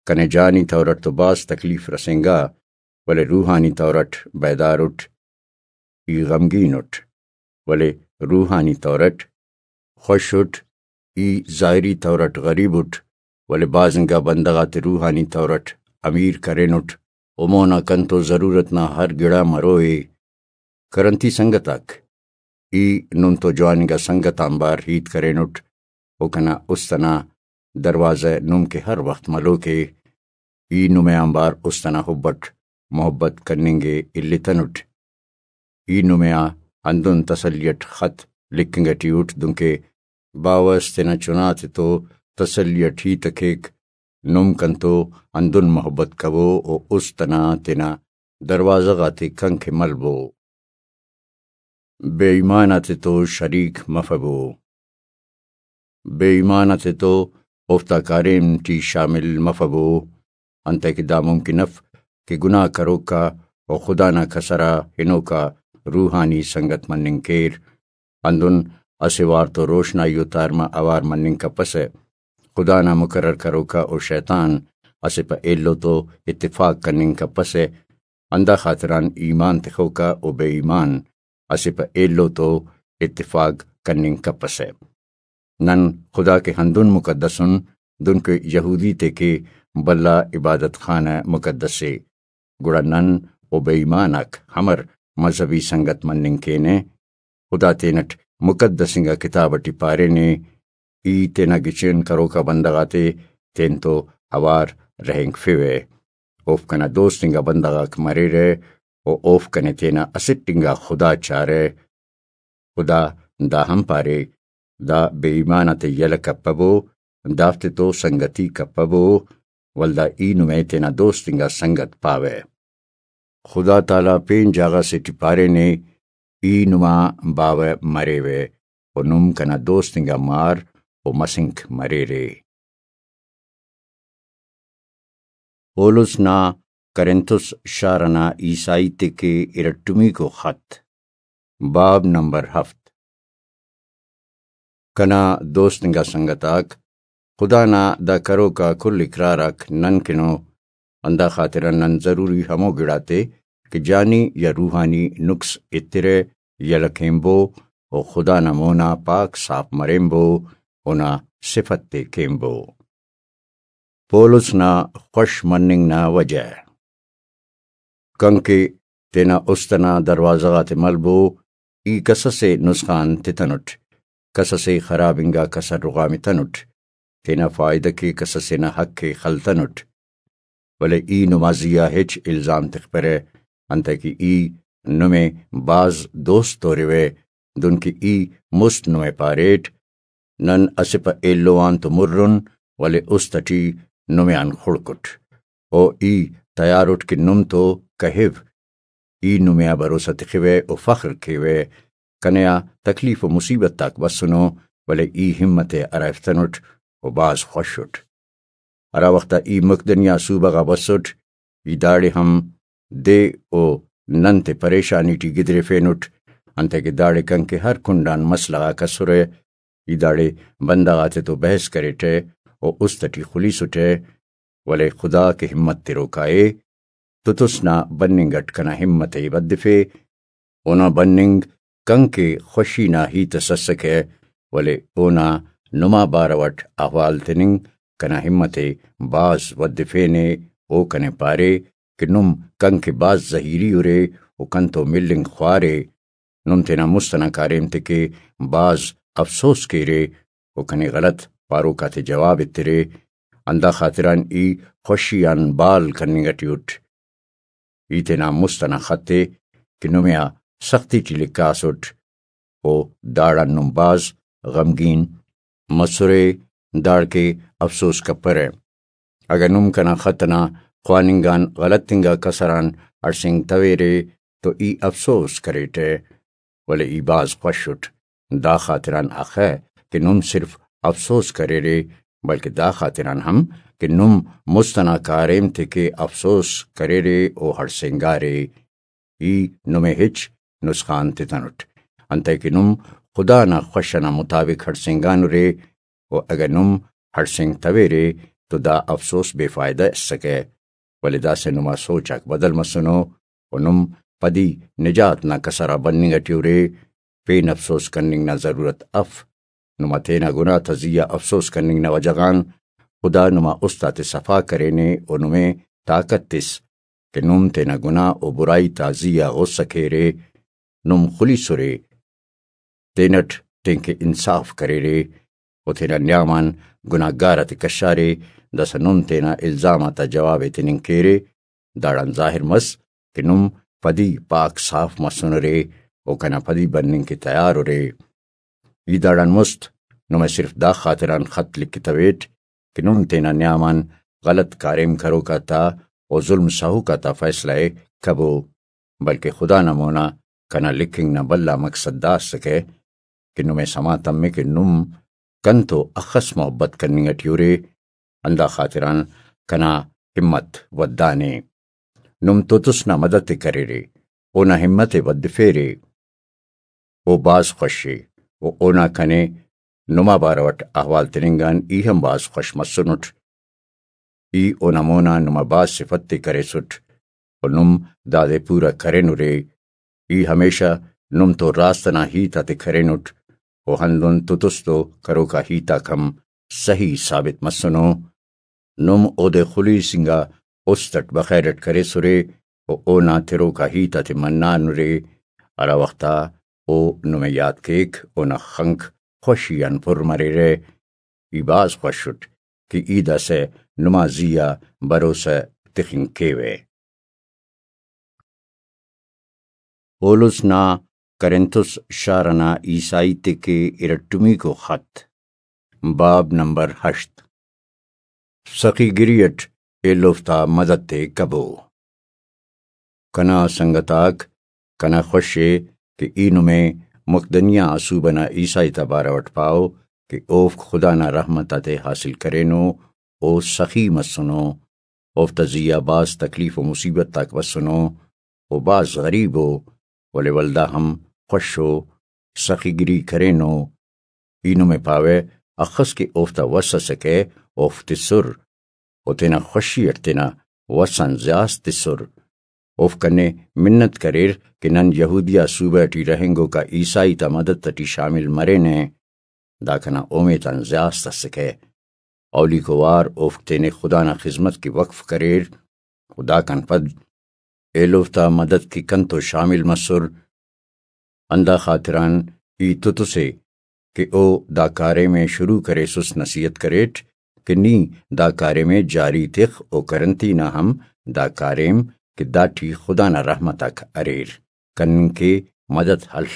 کنے جانی طور اٹ تو بھاز تکلیف رسینگا، ولے روحانی طور اٹ بیدار اٹ۔ ای غمگین اٹ، ولے روحانی طور اٹ خوش اٹ۔ ای ظاہری طور اٹ غریب اٹ، ولے بھاز انگا بندغ آتے روحانی طور اٹ امیر کرینٹ۔ و مونا کنتو ضرورت نا ہر گڑا مروئے۔ کرنتی سنگت آک، ای نم تو جوان انگا سنگت آنبار ہیت کرینٹ، و کنا است انا دروازہ نم کہ ہر وخت ملوک ءِ۔ ای نمے آنبار است انا حب اٹ محبت کننگ ءِ التنٹ۔ ای نمے آ ہندن تسلی اٹ خط لکھنگ اٹی اٹ، دنکہ باوہ اس تینا چنا تے تو تسلی اٹ ہیت ءِ کیک۔ نم کنتو ہندن محبت کبو و است انا تینا دروازہ غاتے کنکہ ملبو۔ بے ایمان آتے تو شریک مفبو۔ بے ایمان آتے تو اوفتا کاریم ٹی شامل مفبو، انتئے کہ دا ممکن اف کہ گناہ کروکا و خدا نا کسرا ہنوکا روحانی سنگت مننگ کیر۔ ہندن اسہ وار تو روشنائی و تارما اوار مننگ کپسہ۔ خدا نا مقرر کروکا و شیطان اسہ پہ ایلو تو اتفاق کننگ کپسہ۔ ہندا خاطران ایمان تخوکا و بے ایمان اسہ پہ ایلو تو اتفاق کننگ کپسہ۔ نن خدا کہ ہندن مقدس ان، دنکہ یہودی تے کہ بھلا عبادت خانہ مقدس ءِ، گڑا نن و بے ایمان آک ہمر مذہبی سنگت مننگ کینہ؟ خدا تینٹ مقدس انگا کتاب اٹی پارینے، ای تینا گچین کروکا بندغ آتے تینتو اوار رہینگفیوہ۔ اوفک کنا دوست انگا بندغ آک مریرہ و اوفک کنے تینا اسٹ انگا خدا چارہ۔ خدا دا ہم پارے، دا بے ایمان آتے یلہ کپبو، دافتے تو سنگتی کپبو، ولدا ای نمے تینا دوست انگا سنگت پاوہ۔ خدا تعالیٰ پین جاگہ سے ٹی پارینے، ای نما باوہ مریوہ و نم کنا دوست انگا مار و مسنک مریرے۔ پولس نا کرنتس شار انا عیسائی تے کہ ارٹمیکو خط۔ باب نمبر ہفت۔ کنا دوست انگا سنگت آک، خدا نا دا کروک آ کل اقرار آک نن کن ءُ، ہندا خاطران نن ضروری ہمو گڑاتے کہ جانی یا روحانی نقص ایترہ، یلہ کینبو و خدا نا مونا پاک صاف مریمبو، اونا صفت تے کینبو۔ پولس نا خوش مننگ نا وجہ۔ کنکہ تینا است ئنا دروازہ غاتے ملبو، ای کس ئسے نسخان تتنٹ، کس ئسے خراب انگا کسر رغامتنٹ، تینا فائدہ کے کس ئسے نا حق ءِ خلتنٹ، ولے ای نما زیہا ہچ الزام تخپرہ، انتئے کہ ای نمے بھاز دوست توریوہ، دنکہ ای مست نمے پاریٹ، نن اسہ پہ ایلو آن تو مُر اُن، ولے است ٹی نمے آن خڑک اُٹ۔ او ای تیار اُٹ کہ نم تو کہیو۔ ای نمے آ بھروسہ تخوہ و فخر کیوہ۔ کنے آ تکلیف و مصیبت آک بسنو، ولے ای ہمت ءِ ہرائفتنٹ و بھاز خوش اُٹ۔ ہرا وخت آ ای مقدنیہ صوبہ غا بسٹ، ای داڑے ہم دے و نن تے پریشانی ٹی گدریفینٹ، انتئے کہ داڑے کنکہ ہر کنڈ آن مسئلہ غاک اسرہ۔ ای داڑے بندغ آتے تو بحث کریٹہ و است ٹی خلیسٹہ، ولے خدا کہ ہمت تروکا ءِ، تتس نا بننگ اٹ کنا ہمت ءِ ودفے۔ اونا بننگ کنکہ خوشی نا ہیت اس اسکہ، ولے اونا نما بارو اٹ احوال تننگ کنا ہمت ءِ بھاز ودفینے۔ او کنے پارے کہ نم کنکہ بھاز زہیری ارے و کنتو ملنگ خوارے۔ نم تینا مست ئنا کاریم تے کہ بھاز افسوس کیرے و کنے غلط پاروک آتے جواب ایترے، ہندا خاطران ای خوشی آن بال کننگ ٹی اُٹ۔ ای تینا مست ئنا خط ءِ کہ نمے آ سختی ٹی لکھاسٹ، و داڑان نم بھاز غمگین مسرے، داڑکہ افسوس کپرہ۔ اگہ نم کنا خط ئنا خواننگ آن غلط انگا کسر آن ہڑسینگتویرے تو ای افسوس کریٹہ، ولے ای بھاز خوش اُٹ۔ دا خاطران اخہ کہ نم صرف افسوس کریرے، بلکہ دا خاطران ہم کہ نم مست ئنا کاریم تے کہ افسوس کریرے و ہڑسینگارے۔ ای نمے ہچ نسخان تتنٹ، انتئے کہ نم خدا نا خوش ئنا مطابق ہڑسینگانرے، و اگہ نم ہڑسینگتویرے تو دا افسوس بے فائدہ اسکہ، ولے داسہ نما سوچ آک بدل مسنو و نم پدی نجات نا کسر آ بننگ ٹی ارے۔ پین افسوس کننگ نا ضرورت اف۔ نما تینا گناہ تا زیہا افسوس کننگ نا وجہ غان خدا نما است آتے صفا کرینے و نمے طاقت تس کہ نم تینا گناہ و برائی تا زیہا غصہ کیرے، نم خلیسرے، تینٹ تینکہ انصاف کریرے و تینا نیام آن گناہگار آتے کشارے، داسہ نم تینا الزام آتا جواب ءِ تننگ کیرے۔ داڑان ظاہر مس کہ نم پدی پاک صاف مسنرے و کنا پدی بننگ کہ تیار ارے۔ ای داڑان مست نمے صرف دا خاطران خط لکھتویٹ کہ نم تینا نیام آن غلط کاریم کروک آتا و ظلم سہوک آتا فیصلہ ءِ کبو، بلکہ خدا نا مونا کنا لکھنگ نا بھلا مقصد دا اسکہ کہ نمے سما تمے کہ نم کنتو اخس محبت کننگ ٹی ارے، ہندا خاطران کنا ہمت ودانے۔ نم تتس نا مدد ءِ کریرے، اونا ہمت ءِ ودفیرے۔ او بھاز خوش ءِ و اونا کنے نما بارو اٹ احوال تننگ آن ای ہم بھاز خوش مسنٹ۔ ای اونا مونا نما بھاز صفت تے کریسٹ و نم دادے پورا کرینرے۔ ای ہمیشہ نم تو راست ئنا ہیت آتے کرینٹ و ہندن تتس تو کروکا ہیت آک ہم سہی ثابت مسنو۔ نم اودے خلیس انگا است اٹ بخیر اٹ کریسرے و اونا تروکا ہیت آتے منانرے، ہرا وخت آ او نمے یات کیک، اونا خنک خوشی آن پر مریرہ۔ ای بھاز خوش اٹ کہ ای داسہ نما زی آ بھروسہ تخنگ کیوہ۔ پولس نا کرنتس شار ئنا عیسائی تے کہ ارٹمیکو خط، باب نمبر ہشت۔ سخی گری اٹ ایلوفتا مدد تے کبو۔ کنا سنگت آک، کنا خوش ءِ کہ ای نمے مقدنیہ آ صوبہ نا عیسائی تا بارو اٹ پاو کہ اوفک خدا نا رحمت آتے حاصل کرینو، او سخی مسنو، اوفتا زی آ بھاز تکلیف و مصیبت آک بسنو، او بھاز غریب او، ولے ولدا ہم خوش و سخی گری کرینو۔ ای نمے پاوہ، اخس کہ اوفتا وس ئسکہ، اوفک تسر و تینا خوشی اٹ تینا وس آن زیات تسر۔ اوفک کنے منت کریر کہ نن یہودیہ صوبہ ٹی رہینگوکا عیسائی تا مدد ٹی شامل مرینہ۔ دا کنا اومیت آن زیات ئسکہ۔ اولیکو وار اوفک تینے خدا نا خذمت کہ وقف کریر و داکان پد ایلوفتا مدد کہ کنتو شامل مسر۔ ہندا خاطران ای تتسے کہ او دا کاریم ءِ شروع کریسس، نصیحت کریٹ کہ نی دا کاریم ءِ جاری تخ و کرنتی نا ہم دا کاریم کہ داٹی خدا نا رحمت آک اریر، کننگ کے مدد ہل۔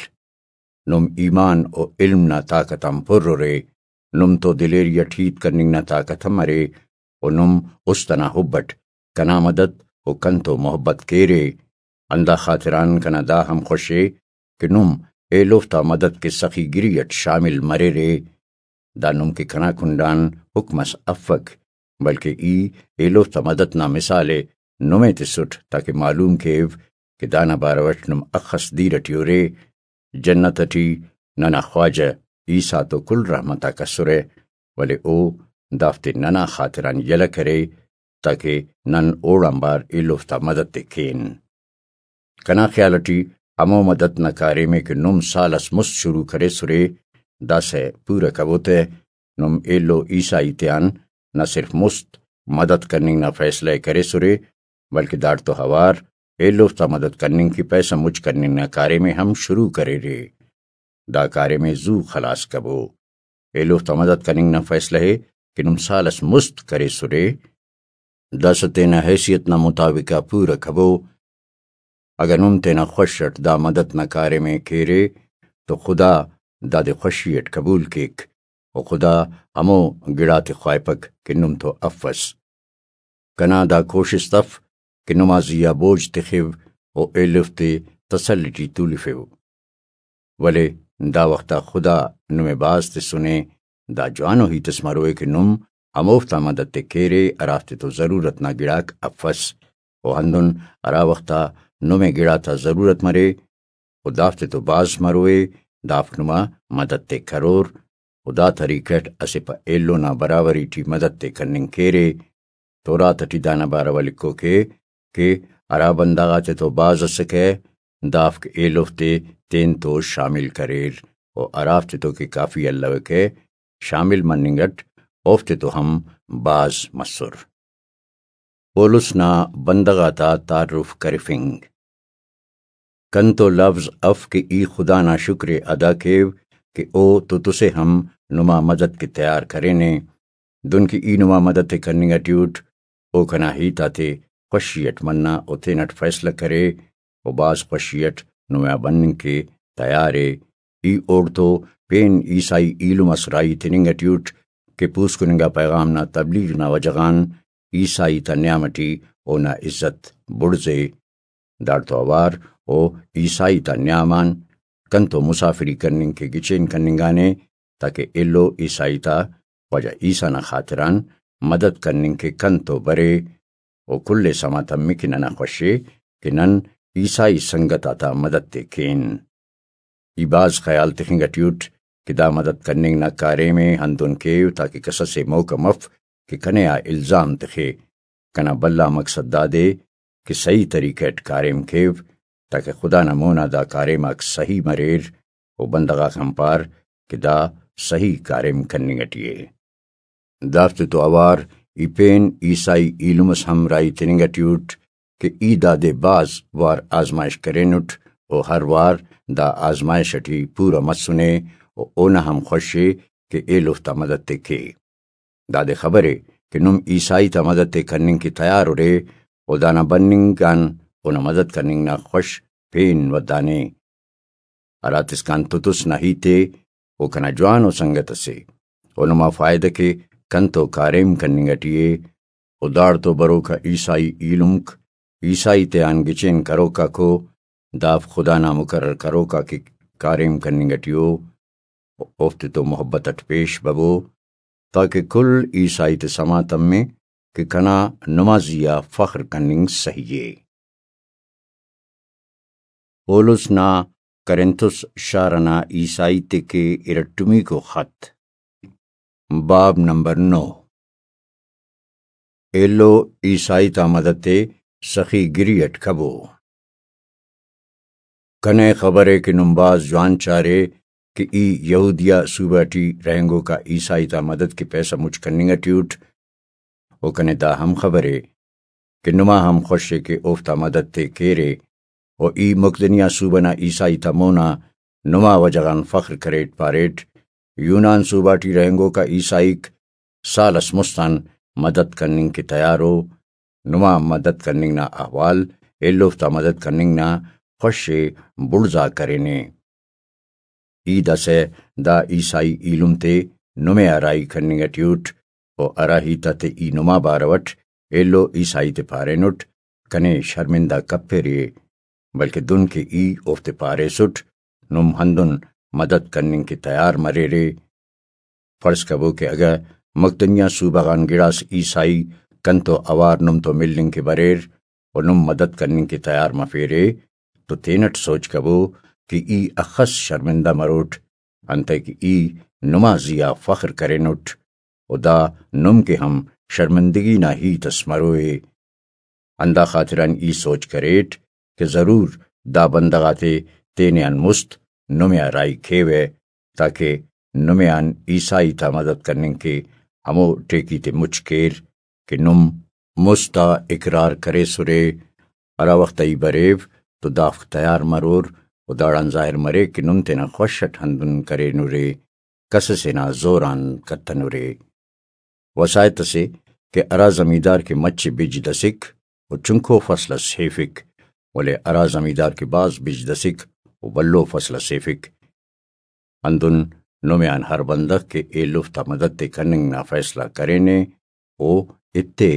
نم ایمان و علم نا طاقت آن پر ارے۔ نم تو دلیری اٹ ہیت کننگ نا طاقت ہم ارے و نم است ئنا حب اٹ کنا مدد و کنتو محبت کیرے۔ ہندا خاطران کنا دا ہم خوشے کہ نم ایلوفتا مدد کہ سخی گری اٹ شامل مریرے۔ دا نم کہ کنا کنڈان حکم اس افک، بلکہ ای ایلوفتا مدد نا مثال ءِ نمے تسٹ، تاکہ معلوم کیو کہ دانا بارو اٹ نم اخس دیر ٹی ارے۔ جنت ٹی ننا خواجہ عیسیٰ تو کل رحمت آک اسرہ، ولے او دافتے ننا خاطران یلہ کرے، تاکہ نن اوڑان بار ایلوفتا مدد ءِ کین۔ کنا خیال ٹی ہمو مدد نا کاریم ءِ کہ نم سال اس مست شروع کریسرے، داسہ پورہ کبو تہ۔ نم ایلو عیسائی تیان نہ صرف مست مدد کننگ نا فیصلہ ءِ کریسرے، بلکہ داڑتو اوار ایلوفتا مدد کننگ کہ پیسہ مچ کننگ نا کاریم ءِ ہم شروع کریرے۔ دا کاریم ءِ زو خلاس کبو۔ ایلوفتا مدد کننگ نا فیصلہ ءِ کہ نم سال اس مست کریسرے، داسہ تینا حیثیت نا مطابق آ پورہ کبو۔ اگہ نم تینا خوش اٹ دا مدد نا کاریم ءِ کیرے تو خدا دادے خوشی اٹ قبول کیک، و خدا ہمو گڑاتے خواہپک کہ نم تو افس۔ کنا دا کوشست اف کہ نما زی آ بوجھ تخو و ایلوفتے تسلی ٹی تولفو۔ ولے دا وخت آ خدا نمے بھاز تسنے۔ دا جوانو ہیت اس مروئے کہ نم ہموفتا مدد ءِ کیرے ہرافتے تو ضرورت نا گڑاک افس، و ہندن ہرا وخت آ نمے گڑاتا ضرورت مرے و دافتے تو بھاز مروئے، دافک نما مدد ءِ کرور، و دا طریقہ اٹ اسہ پہ ایلو نا برابری ٹی مدد ءِ کننگ کیرے۔ تورات ٹی دانا بارو آ لکھوکے کہ ہرا بندغ آتے تو بھاز اسکہ، دافک ایلوفتے تین تو شامل کریر، و ہرافتے تو کہ کافی الوکہ، شامل مننگ اٹ اوفتے تو ہم بھاز مسر۔ پولس نا بندغ آتا تعارف کرفنگ۔ کنتو لوظ اف کہ ای خدا نا شکر ءِ ادا کیو کہ او تتسے ہم نما مدد کہ تیار کرینے۔ دن کہ ای نما مدد ءِ کننگ ٹی اٹ، او کنا ہیت آتے خوشی اٹ منا و تینٹ فیصلہ کرے، و بھاز خوشی اٹ نما بننگ کہ تیار ءِ۔ ای اوڑتو پین عیسائی ایلم اس راہی تننگ ٹی اٹ کہ پوسکن انگا پیغام نا تبلیغ نا وجہ غان عیسائی تا نیام ٹی اونا عزت بڑزے۔ داڑتو اوار او عیسائی تا نیام آن کنتو مسافری کننگ کہ گچین کننگانے، تاکہ ایلو عیسائی تا خواجہ عیسیٰ نا خاطران مدد کننگ کہ کنتو برے، و کل ءِ سما تمک کہ ننا خوشے کہ نن عیسائی سنگت آتا مدد ءِ کین۔ ای بھاز خیال تخنگ ٹی اٹ کہ دا مدد کننگ نا کاریم ءِ ہندن کیو تاکہ کسس ءِ موقع مف کہ کنے آ الزام تخے۔ کنا بھلا مقصد دادے کہ صحیح طریقہ اٹ کاریم کیو، تاکہ خدا نا مونا دا کاریم آک صحیح مریر، و بندغ آک ہم پار کہ دا صحیح کاریم کننگ ٹی ءِ۔ دافتے تو اوار ای پین عیسائی ایلم اس ہم راہی تننگ ٹی اٹ کہ ای دادے بھاز وار آزمائش کرینٹ، و ہر وار دا آزمائش ٹی پورہ مسنے، و اونا ہم خوشے کہ ایلوفتا مدد ءِ کے۔ دادے خبرے کہ نم عیسائی تا مدد ءِ کننگ کہ تیار ارے، و دانا بننگ آن اونا مدد کننگ نا خوش پین ودانے۔ ہراتسکان تتس نا ہیت ءِ، او کنا جوانو سنگت اسے، او نما فائدہ کہ کنتو کاریم کننگ ٹی ءِ، و داڑتو بروکا عیسائی ایلمک، عیسائی تیان گچین کروکاکو، دافک خدا نا مقرر کروکا کہ کاریم کننگ ٹی او، اوفتے تو محبت اٹ پیش ببو، تاکہ کل عیسائی تے سما تمے کہ کنا نمازی آ فخر کننگ سہی ءِ۔ پولس نا کرنتھس شار ئنا عیسائی تے کہ ارٹمیکو خط۔ باب نمبر نو۔ ایلو عیسائی تا مدد تے سخی گری اٹ کبو۔ کنے خبرے کہ نم بھاز جوان چارے کہ ای یہودیہ صوبہ ٹی رہینگوکا عیسائی تا مدد کہ پیسہ مچ کننگ ٹی اٹ، و کنے دا ہم خبرے کہ نما ہم خوش ءِ کہ اوفتا مدد تے کیرے، و ای مقدنیہ صوبہ نا عیسائی تا مونا نما وجہ غان فخر کریٹ، پاریٹ، یونان صوبہ ٹی رہینگوکا عیسائیک سال اس مست آن مدد کننگ کہ تیار ءُ، نما مدد کننگ نا احوال ایلوفتا مدد کننگ نا خوش ءِ بڑزا کرینے۔ ای داسہ دا عیسائی ایلم تے نمے آ راہی کننگ ٹی اٹ، و ہرا ہیت آتے ای نما بارو اٹ ایلو عیسائی تے پارینٹ، کنے شرمندہ کپرے، بلکہ دن کہ ای اوفتے پاریسٹ، نم ہندن مدد کننگ کہ تیار مریرے۔ فرض کبو کہ اگہ مقدنیہ صوبہ غان گڑاس عیسائی کنتو اوار نم تو ملنگ کہ بریر، و نم مدد کننگ کہ تیار مفیرے، تو تینٹ سوچ کبو کہ ای اخس شرمندہ مروٹ، انتئے کہ ای نما زی آ فخر کرینٹ، و دا نم کہ ہم شرمندگی نا ہیت اس مروئے۔ ہندا خاطران ای سوچ کریٹ کہ ضرور دا بندغ آتے تینے آن مست نمے آ راہی کیوہ، تاکہ نمے آن عیسائی تا مدد کننگ کہ ہمو ٹیکی تے مچ کیر کہ نم مست آ اقرار کریسرے۔ ہرا وخت ای بریو تو دافک تیار مرور، و داڑان ظاہر مریک کہ نم تینا خوش اٹ ہندن کرینرے، کسسے نا زور آن کتنرے۔ وساہت اسے کہ ہرا زمیندار کہ مچ بج دسک و چنکو فصل اس ہیفک، ولے ہرا زمیندار کہ بھاز بج دسک و بھلو فصل اس ہیفک۔ ہندن نمے آن ہر بندغ کہ ایلوفتا مدد تے کننگ نا فیصلہ کرینے، او ایتے،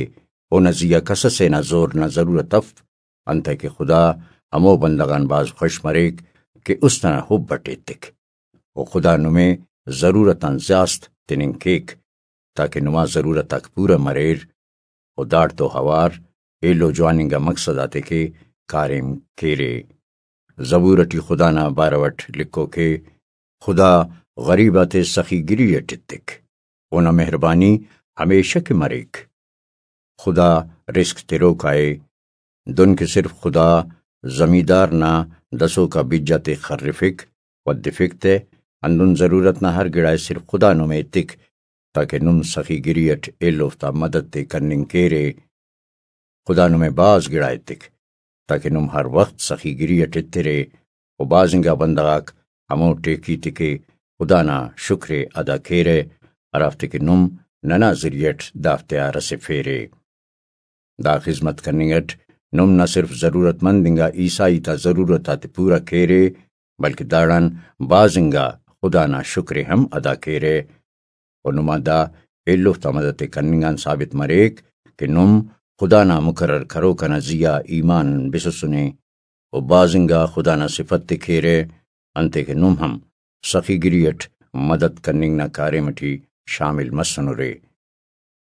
اونا زی آ کسسے نا زور نا ضرورت اف، انتئے کہ خدا ہمو بندغ آن بھاز خوش مریک کہ است ئنا حب اٹ ایتک۔ و خدا نمے ضرورت آن زیاست تننگ کیک، تاکہ نما ضرورت آک پورہ مریر، و داڑتو اوار ایلو جوان انگا مقصد آتے کہ کاریم کیرے۔ زبور اٹی خدا نا بارو اٹ لکھوک ءِ، خدا غریب آتے سخی گری اٹ ایتک، اونا مہربانی ہمیشہ کہ مریک۔ خدا رزق تروکا ءِ۔ دن کہ صرف خدا زمیندار نا دسوکا بج آتے خرفک، ودفک تہ، ہندن ضرورت نا ہر گڑا ءِ صرف خدا نمے ایتک، تاکہ نم سخی گری اٹ ایلوفتا مدد تے کننگ کیرے۔ خدا نمے بھاز گڑا ایتک، تاکہ نم ہر وخت سخی گری اٹ ایترے، و بھاز انگا بندغ آک ہمو ٹیکی تے کہ خدا نا شکر ءِ ادا کیرہ، ہرافتے کہ نم ننا ذریعہ اٹ دافتے آ رسفیرے۔ دا خذمت کننگ اٹ نم نہ صرف ضرورت مند انگا عیسائی تا ضرورت آتے پورا کیرے، بلکہ داڑان بھاز انگا خدا نا شکر ءِ ہم ادا کیرہ۔ و نما دا ایلوفتا مدد تے کننگ آن ثابت مریک کہ نم خدا نا مقرر کروک ئنا زی آ ایمان بسسنے، و بھاز انگا خدا نا صفت تے کیرہ، انتئے کہ نم ہم سخی گری اٹ مدد کننگ نا کاریم ٹی شامل مسنرے۔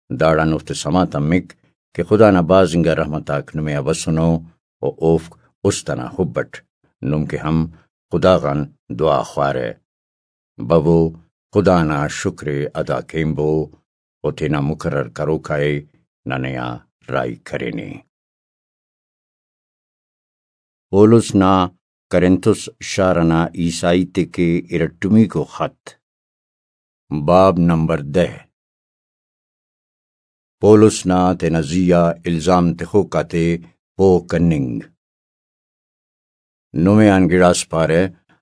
داڑان اوفتے سما تمک کہ خدا نا بھاز انگا رحمت آک نمے آ بسنو، و اوفک است ئنا حب اٹ نم کہ ہم خدا غان دعا خوارہ۔ ببو، خدا نا شکر ءِ ادا کینبو، و تینا مقرر کروکا ءِ ننے آ راہی کرینے۔ پولس نا کرنتھس شار ئنا عیسائی تے کہ ارٹمیکو خط۔ باب نمبر دہ۔ پولس نا تینا زی آ الزام تخوک آتے پوہ کننگ۔ نمے آن گڑاس پارہ،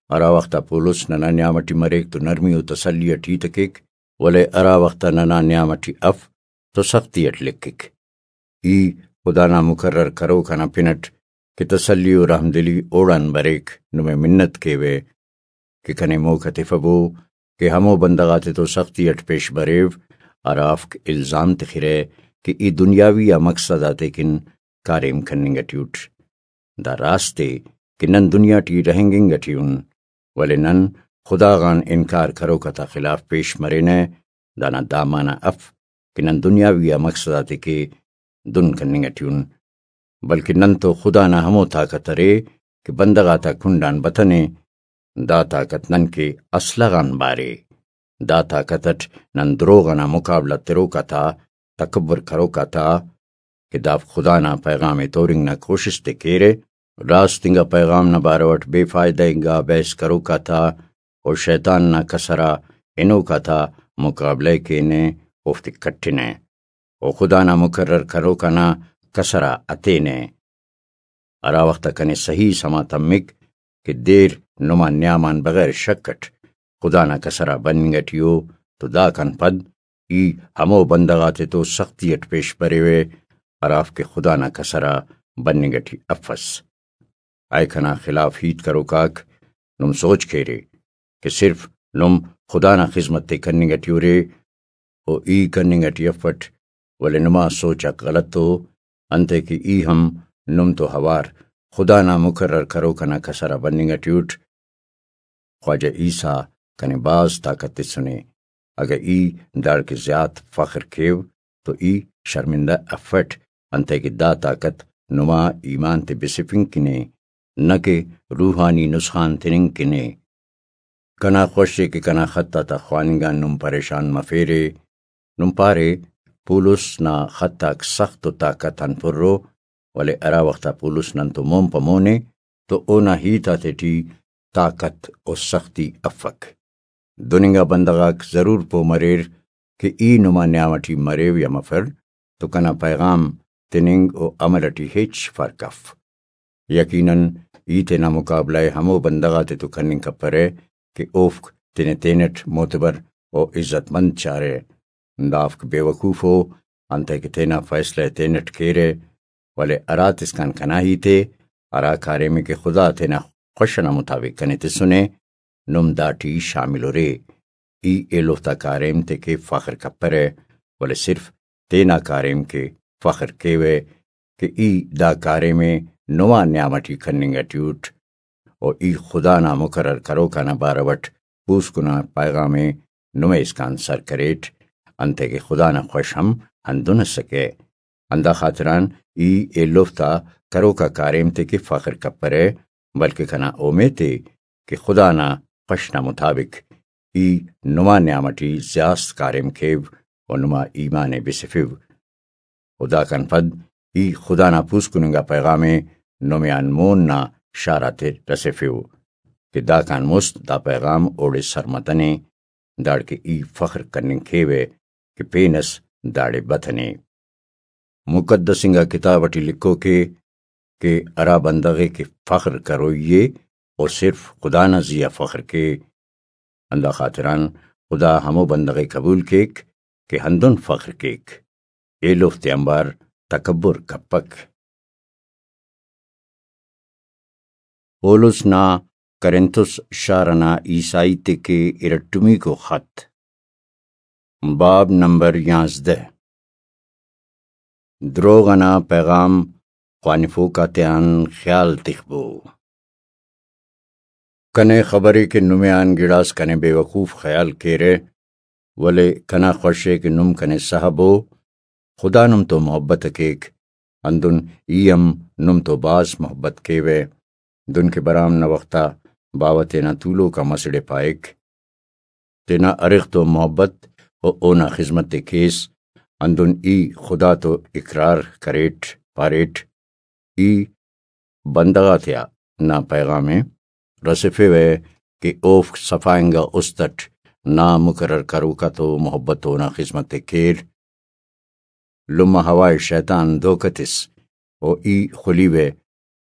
ہرا وخت آ پولس ننا نیام ٹی مریک تو نرمی و تسلی اٹ ہیت ءِ کیک، ولے ہرا وخت آ ننا نیام ٹی اف تو سختی اٹ لکھک۔ ای خدا نا مقرر کروک ئنا پن اٹ کہ تسلی و رحمدلی اوڑان بریک، نمے منت کیوہ کہ کنے موقع تفبو کہ ہمو بندغ آتے تو سختی اٹ پیش بریو، ہرافک الزام تخرہ کہ ای دنیاوی آ مقصد آتے کن کاریم کننگ ٹی اٹ۔ دا راست ءِ کہ نن دنیا ٹی رہینگنگ ٹی ان، ولے نن خدا غان انکار کروک آتا خلاف پیش مرینہ، دانا دا معنی اف کہ نن دنیاوی آ مقصد آتے کہ دن کننگ ٹی ان، بلکہ نن تو خدا نا ہمو طاقت ارے کہ بندغ آتا کنڈ آن بتنے، دا طاقت نن کہ اسلحہ غان بارے۔ دا طاقت اٹ نن دروغ انا مقابلہ تروک آتا، تکبر کروک آتا کہ دافک خدا نا پیغام ءِ تورنگ نا کوشست ءِ کیرہ، راست انگا پیغام نا بارو اٹ بے فائدہ انگا بحث کروک آتا و شیطان نا کسر آ ہنوک آتا مقابلہ ءِ کینہ، اوفتے کٹنہ و خدا نا مقرر کروک آنا کسر آ ہتینہ۔ ہرا وخت آ کنے صحیح سما تمک کہ دیر نما نیام آن بغیر شک اٹ خدا نا کسر آ بننگ اٹی ءُ، تو داکان پد ای ہمو بندغ آتتو سختی اٹ پیش بریوہ، ہرافک خدا نا کسر آ بننگ اٹی افس۔ اے کنا خلاف ہیت کروک آک، نم سوچ کیرے کہ صرف نم خدا نا خذمت ءِ کننگ اٹی ارے، و ای کننگ اٹی افٹ، ولے نما سوچ آک غلط ءُ، انتئے کہ ای ہم نم تو اوار خدا نا مقرر کروک انا کسر آ بننگ اٹی اٹ۔ خواجہ عیسیٰ کنے بھاز طاقت تسنے۔ اگہ ای داڑکہ زیات فخر کیو تو ای شرمندہ افٹ، انتئے کہ دا طاقت نما ایمان تے بسفنگ کنے، نہ کہ روحانی نسخان تننگ کنے۔ کنا خوش ءِ کہ کنا خط آتا خواننگ آن نم پریشان مفیرے۔ نم پارے، پولس نا خط آک سخت و طاقت آن پر ءُ، ولے ہرا وخت آ پولس نن تو مون پہ مون ءِ تو اونا ہیت آتیٹی طاقت و سختی افک۔ دن انگا بندغ آک ضرور پہہ مریر کہ ای نما نیام اٹی مریو یا مفر تو کنا پیغام تننگ و عمل اٹی ہچ فرق اف۔ یقیناً ای تینا مقابلہ ءِ ہمو بندغ آتتو کننگ کپرہ کہ اوفک تینے تینٹ معتبر و عزت مند چارہ۔ دافک بے وقوف ءُ، انتئے کہ تینا فیصلہ ءِ تینٹ کیرہ، ولے ہراتسکان کنا ہیت ءِ، ہرا کاریم ءِ کہ خدا تینا خوش ئنا مطابق کنے تسنے، نم داٹی شامل ارے۔ ای ایلوفتا کاریم تے کہ فخر کپرہ، ولے صرف تینا کاریم کہ فخر کیوہ کہ ای دا کاریم ءِ نما نیام اٹی کننگ اٹی اٹ، و ای خدا نا مقرر کروکا نا بارو اٹ پوسکن آ پیغام ءِ نمے اسکان سر کریٹ، انتئے کہ خدا نا خوش ہم ہندن ئسکہ۔ ہندا خاطران ای ایلوفتا کروکا کاریم تے کہ فخر کپرہ، بلکہ کنا اومیت ءِ کہ خدا نا خوش نا مطابق ای نما نیام اٹی زیاست کاریم کیو و نما ایمان ءِ بسفیو۔ و داکان پد ای خدا نا پوسکن انگا پیغام ءِ نمے آن مون نا شار آتے رسیفیو کہ داکان مست دا پیغام اوڑے سر متنے، داڑکہ ای فخر کننگ کیوہ کہ پین اس داڑے بتنے۔ مقدس انگا کتاب اٹی لکھوک ءِ کہ ہرا بندغ ءِ کہ فخر کروئی ءِ، او صرف خدا نا زی آ فخر کے۔ ہندا خاطران خدا ہمو بندغ ءِ قبول کیک کہ ہندن فخر کیک، ایلوفتے آنبار تکبر کپک۔ پولس نا کرنتس شار ئنا عیسائی تے کہ ارٹمیکو خط۔ باب نمبر یانزدہ۔ دروغ ئنا پیغام خوانفوک آتیان خیال تخبو۔ کنے خبرے کہ نمے آن گڑاس کنے بے وقوف خیال کیرہ، ولے کنا خوش ءِ کہ نم کنے سہبو۔ خدا نم تو محبت ءِ کیک، ہندن ای ہم نم تو بھاز محبت کیوہ۔ دن کہ برام نا وخت آ باوہ تینا تولوک آ مسڑ ءِ پائک، تینا ارغ تو محبت و اونا خذمت ءِ کیس، ہندن ای خدا تو اقرار کریٹ، پاریٹ، ای بندغ آتیا نا پیغام ءِ رسیفیوہ کہ اوفک صفا انگا است اٹ نا مقرر کروکا تو محبت و اونا خذمت ءِ کیر۔ لمہ ہوا ءِ شیطان دھوکہ تس و ای خلیوہ،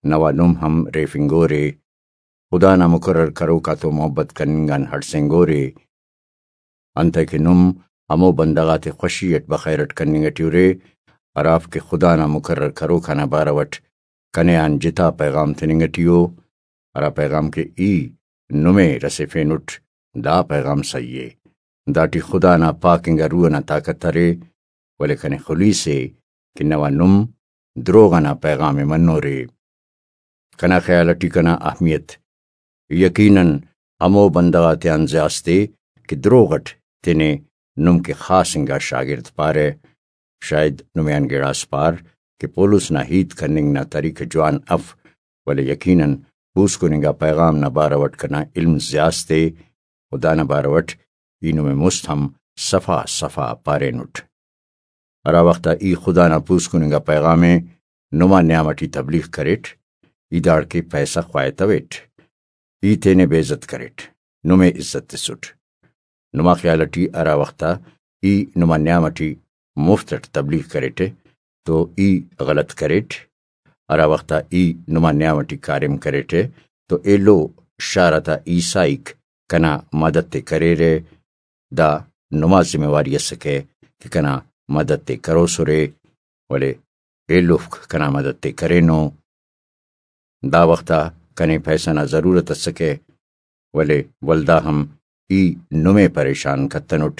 نوا نم ہم ریفنگورے۔ خدا نا مقرر کروکا تو محبت کننگ آن ہڑسینگورے۔ انتئے کہ نم ہمو بندغ آتے خوشی اٹ بخیر اٹ کننگ اٹی ارے، ہرافک خدا نا مقرر کروکا نا بارو اٹ کنے آن جتا پیغام تننگ اٹی ءُ، ہرا پیغام کہ ای نمے رسیفینٹ، دا پیغام سہی ءِ۔ داٹی خدا نا پاک انگا روح ئنا طاقت ارے، ولے کنے خلیسے کہ نوا نم دروغ ئنا پیغام ءِ منورے۔ کنا خیال اٹی کنا اہمیت یقیناً ہمو بندغ آتیان زیاست ءِ کہ دروغ اٹ تینے نم کہ خاص انگا شاگرد پارہ۔ شاید نمے آن گڑاس پار کہ پولس نا ہیت کننگ نا طریقہ جوان اف، ولے یقیناً پوسکن انگا پیغام نا بارو اٹ کنا علم زیاست ءِ، و دانا بارو اٹ ای نمے مست ہم صفا صفا پارینٹ۔ ہرا وخت آ ای خدا نا پوسکن انگا پیغام ءِ نما نیام اٹی تبلیغ کریٹ، ای داڑکہ پیسہ خواہتویٹ، ای تینے بے عزت کریٹ، نمے عزت تسٹ۔ نما خیال اٹی ہرا وخت آ ای نما نیام اٹی مفت اٹ تبلیغ کریٹے تو ای غلط کریٹ، ہرا وخت آ ای نما نیام اٹی کاریم کریٹے تو ایلو شار آتا عیسائیک کنا مدد تے کریرے، دا نما ذمہ واری اسکہ کہ کنا مدد تے کروسرے، ولے ایلوفک کنا مدد تے کرینو۔ دا وخت آ کنے پیسہ نا ضرورت اسکہ، ولے ولدا ہم ای نمے پریشان کتنٹ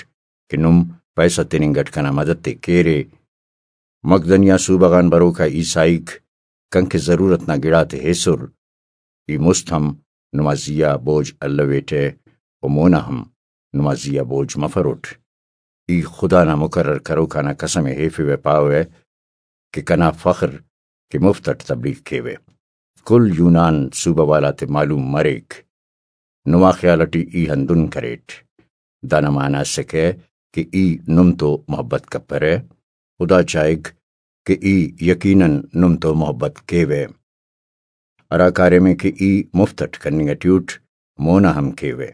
کہ نم پیسہ تننگ اٹ کنا مدد تے کیرے۔ مقدنیہ صوبہ غان بروکا عیسائیک کنکہ ضرورت نا گڑاتے ایسر، ای مست ہم نما زیہا بوجھ الویٹہ و مونا ہم نما زیہا بوجھ مفروٹ۔ ای خدا نا مقرر کروکانا قسم ءِ ہیفوہ، پاوہ کہ کنا فخر کہ مفت اٹ تبلیغ کیوہ۔ کل یونان صوبہ والاتے معلوم مریک۔ نما خیال اٹی ای ہندن کریٹ۔ دانا معنی اسکہ کہ ای نم تو محبت کپرہ۔ خدا چاہک کہ ای یقیناً نم تو محبت کیوہ۔ ہرا کاریم ءِ کہ ای مفت اٹ کننگ اٹی اٹ، مونا ہم کیوہ،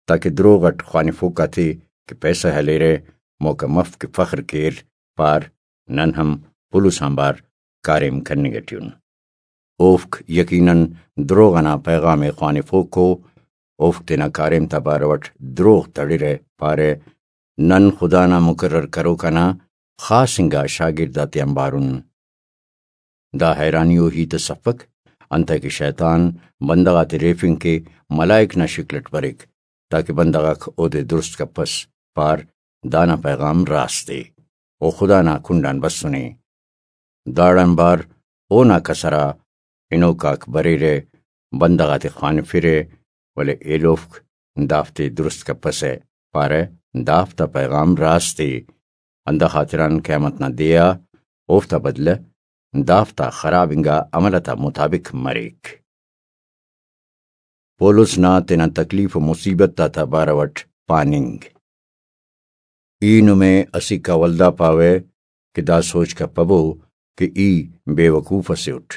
تاکہ دروغ اٹ خوانفوک آتے کہ پیسہ ہلیرہ، موقع مف کہ فخر کیر، پار، نن ہم پلوس آنبار کاریم کننگ اٹی ان۔ اوفک یقیناً دروغ انا پیغام ءِ خوانفوکو، اوفک تینا کاریم تا بارو اٹ دروغ تڑرہ، پارہ، نن خدا نا مقرر کروک انا خاص انگا شاگرد آتیان بارن۔ دا حیرانی و ہیت اس افک، انتئے کہ شیطان بندغ آتے ریفنگ کے ملائک نا شکل اٹ بریک، تاکہ بندغ آک اودے درست کپس، پار، دانا پیغام راست ءِ، او خدا نا کنڈان بسنے۔ داڑان بار اونا کسر آ ہنوک آک بریرہ، بندغ آتے خوانفرہ، ولے ایلوفک دافتے درست کپسہ، پارہ، دافتا پیغام راست ءِ۔ ہندا خاطران قیامت نا دے آ اوفتا بدلہ دافتا خراب انگا عمل آتا مطابق مریک۔ پولس نا تینا تکلیف و مصیبت آتا بارو اٹ پاننگ۔ ای نمے اسیکا ولدا پاوہ کہ دا سوچ کپبو کہ ای بے وقوف اسے اٹ۔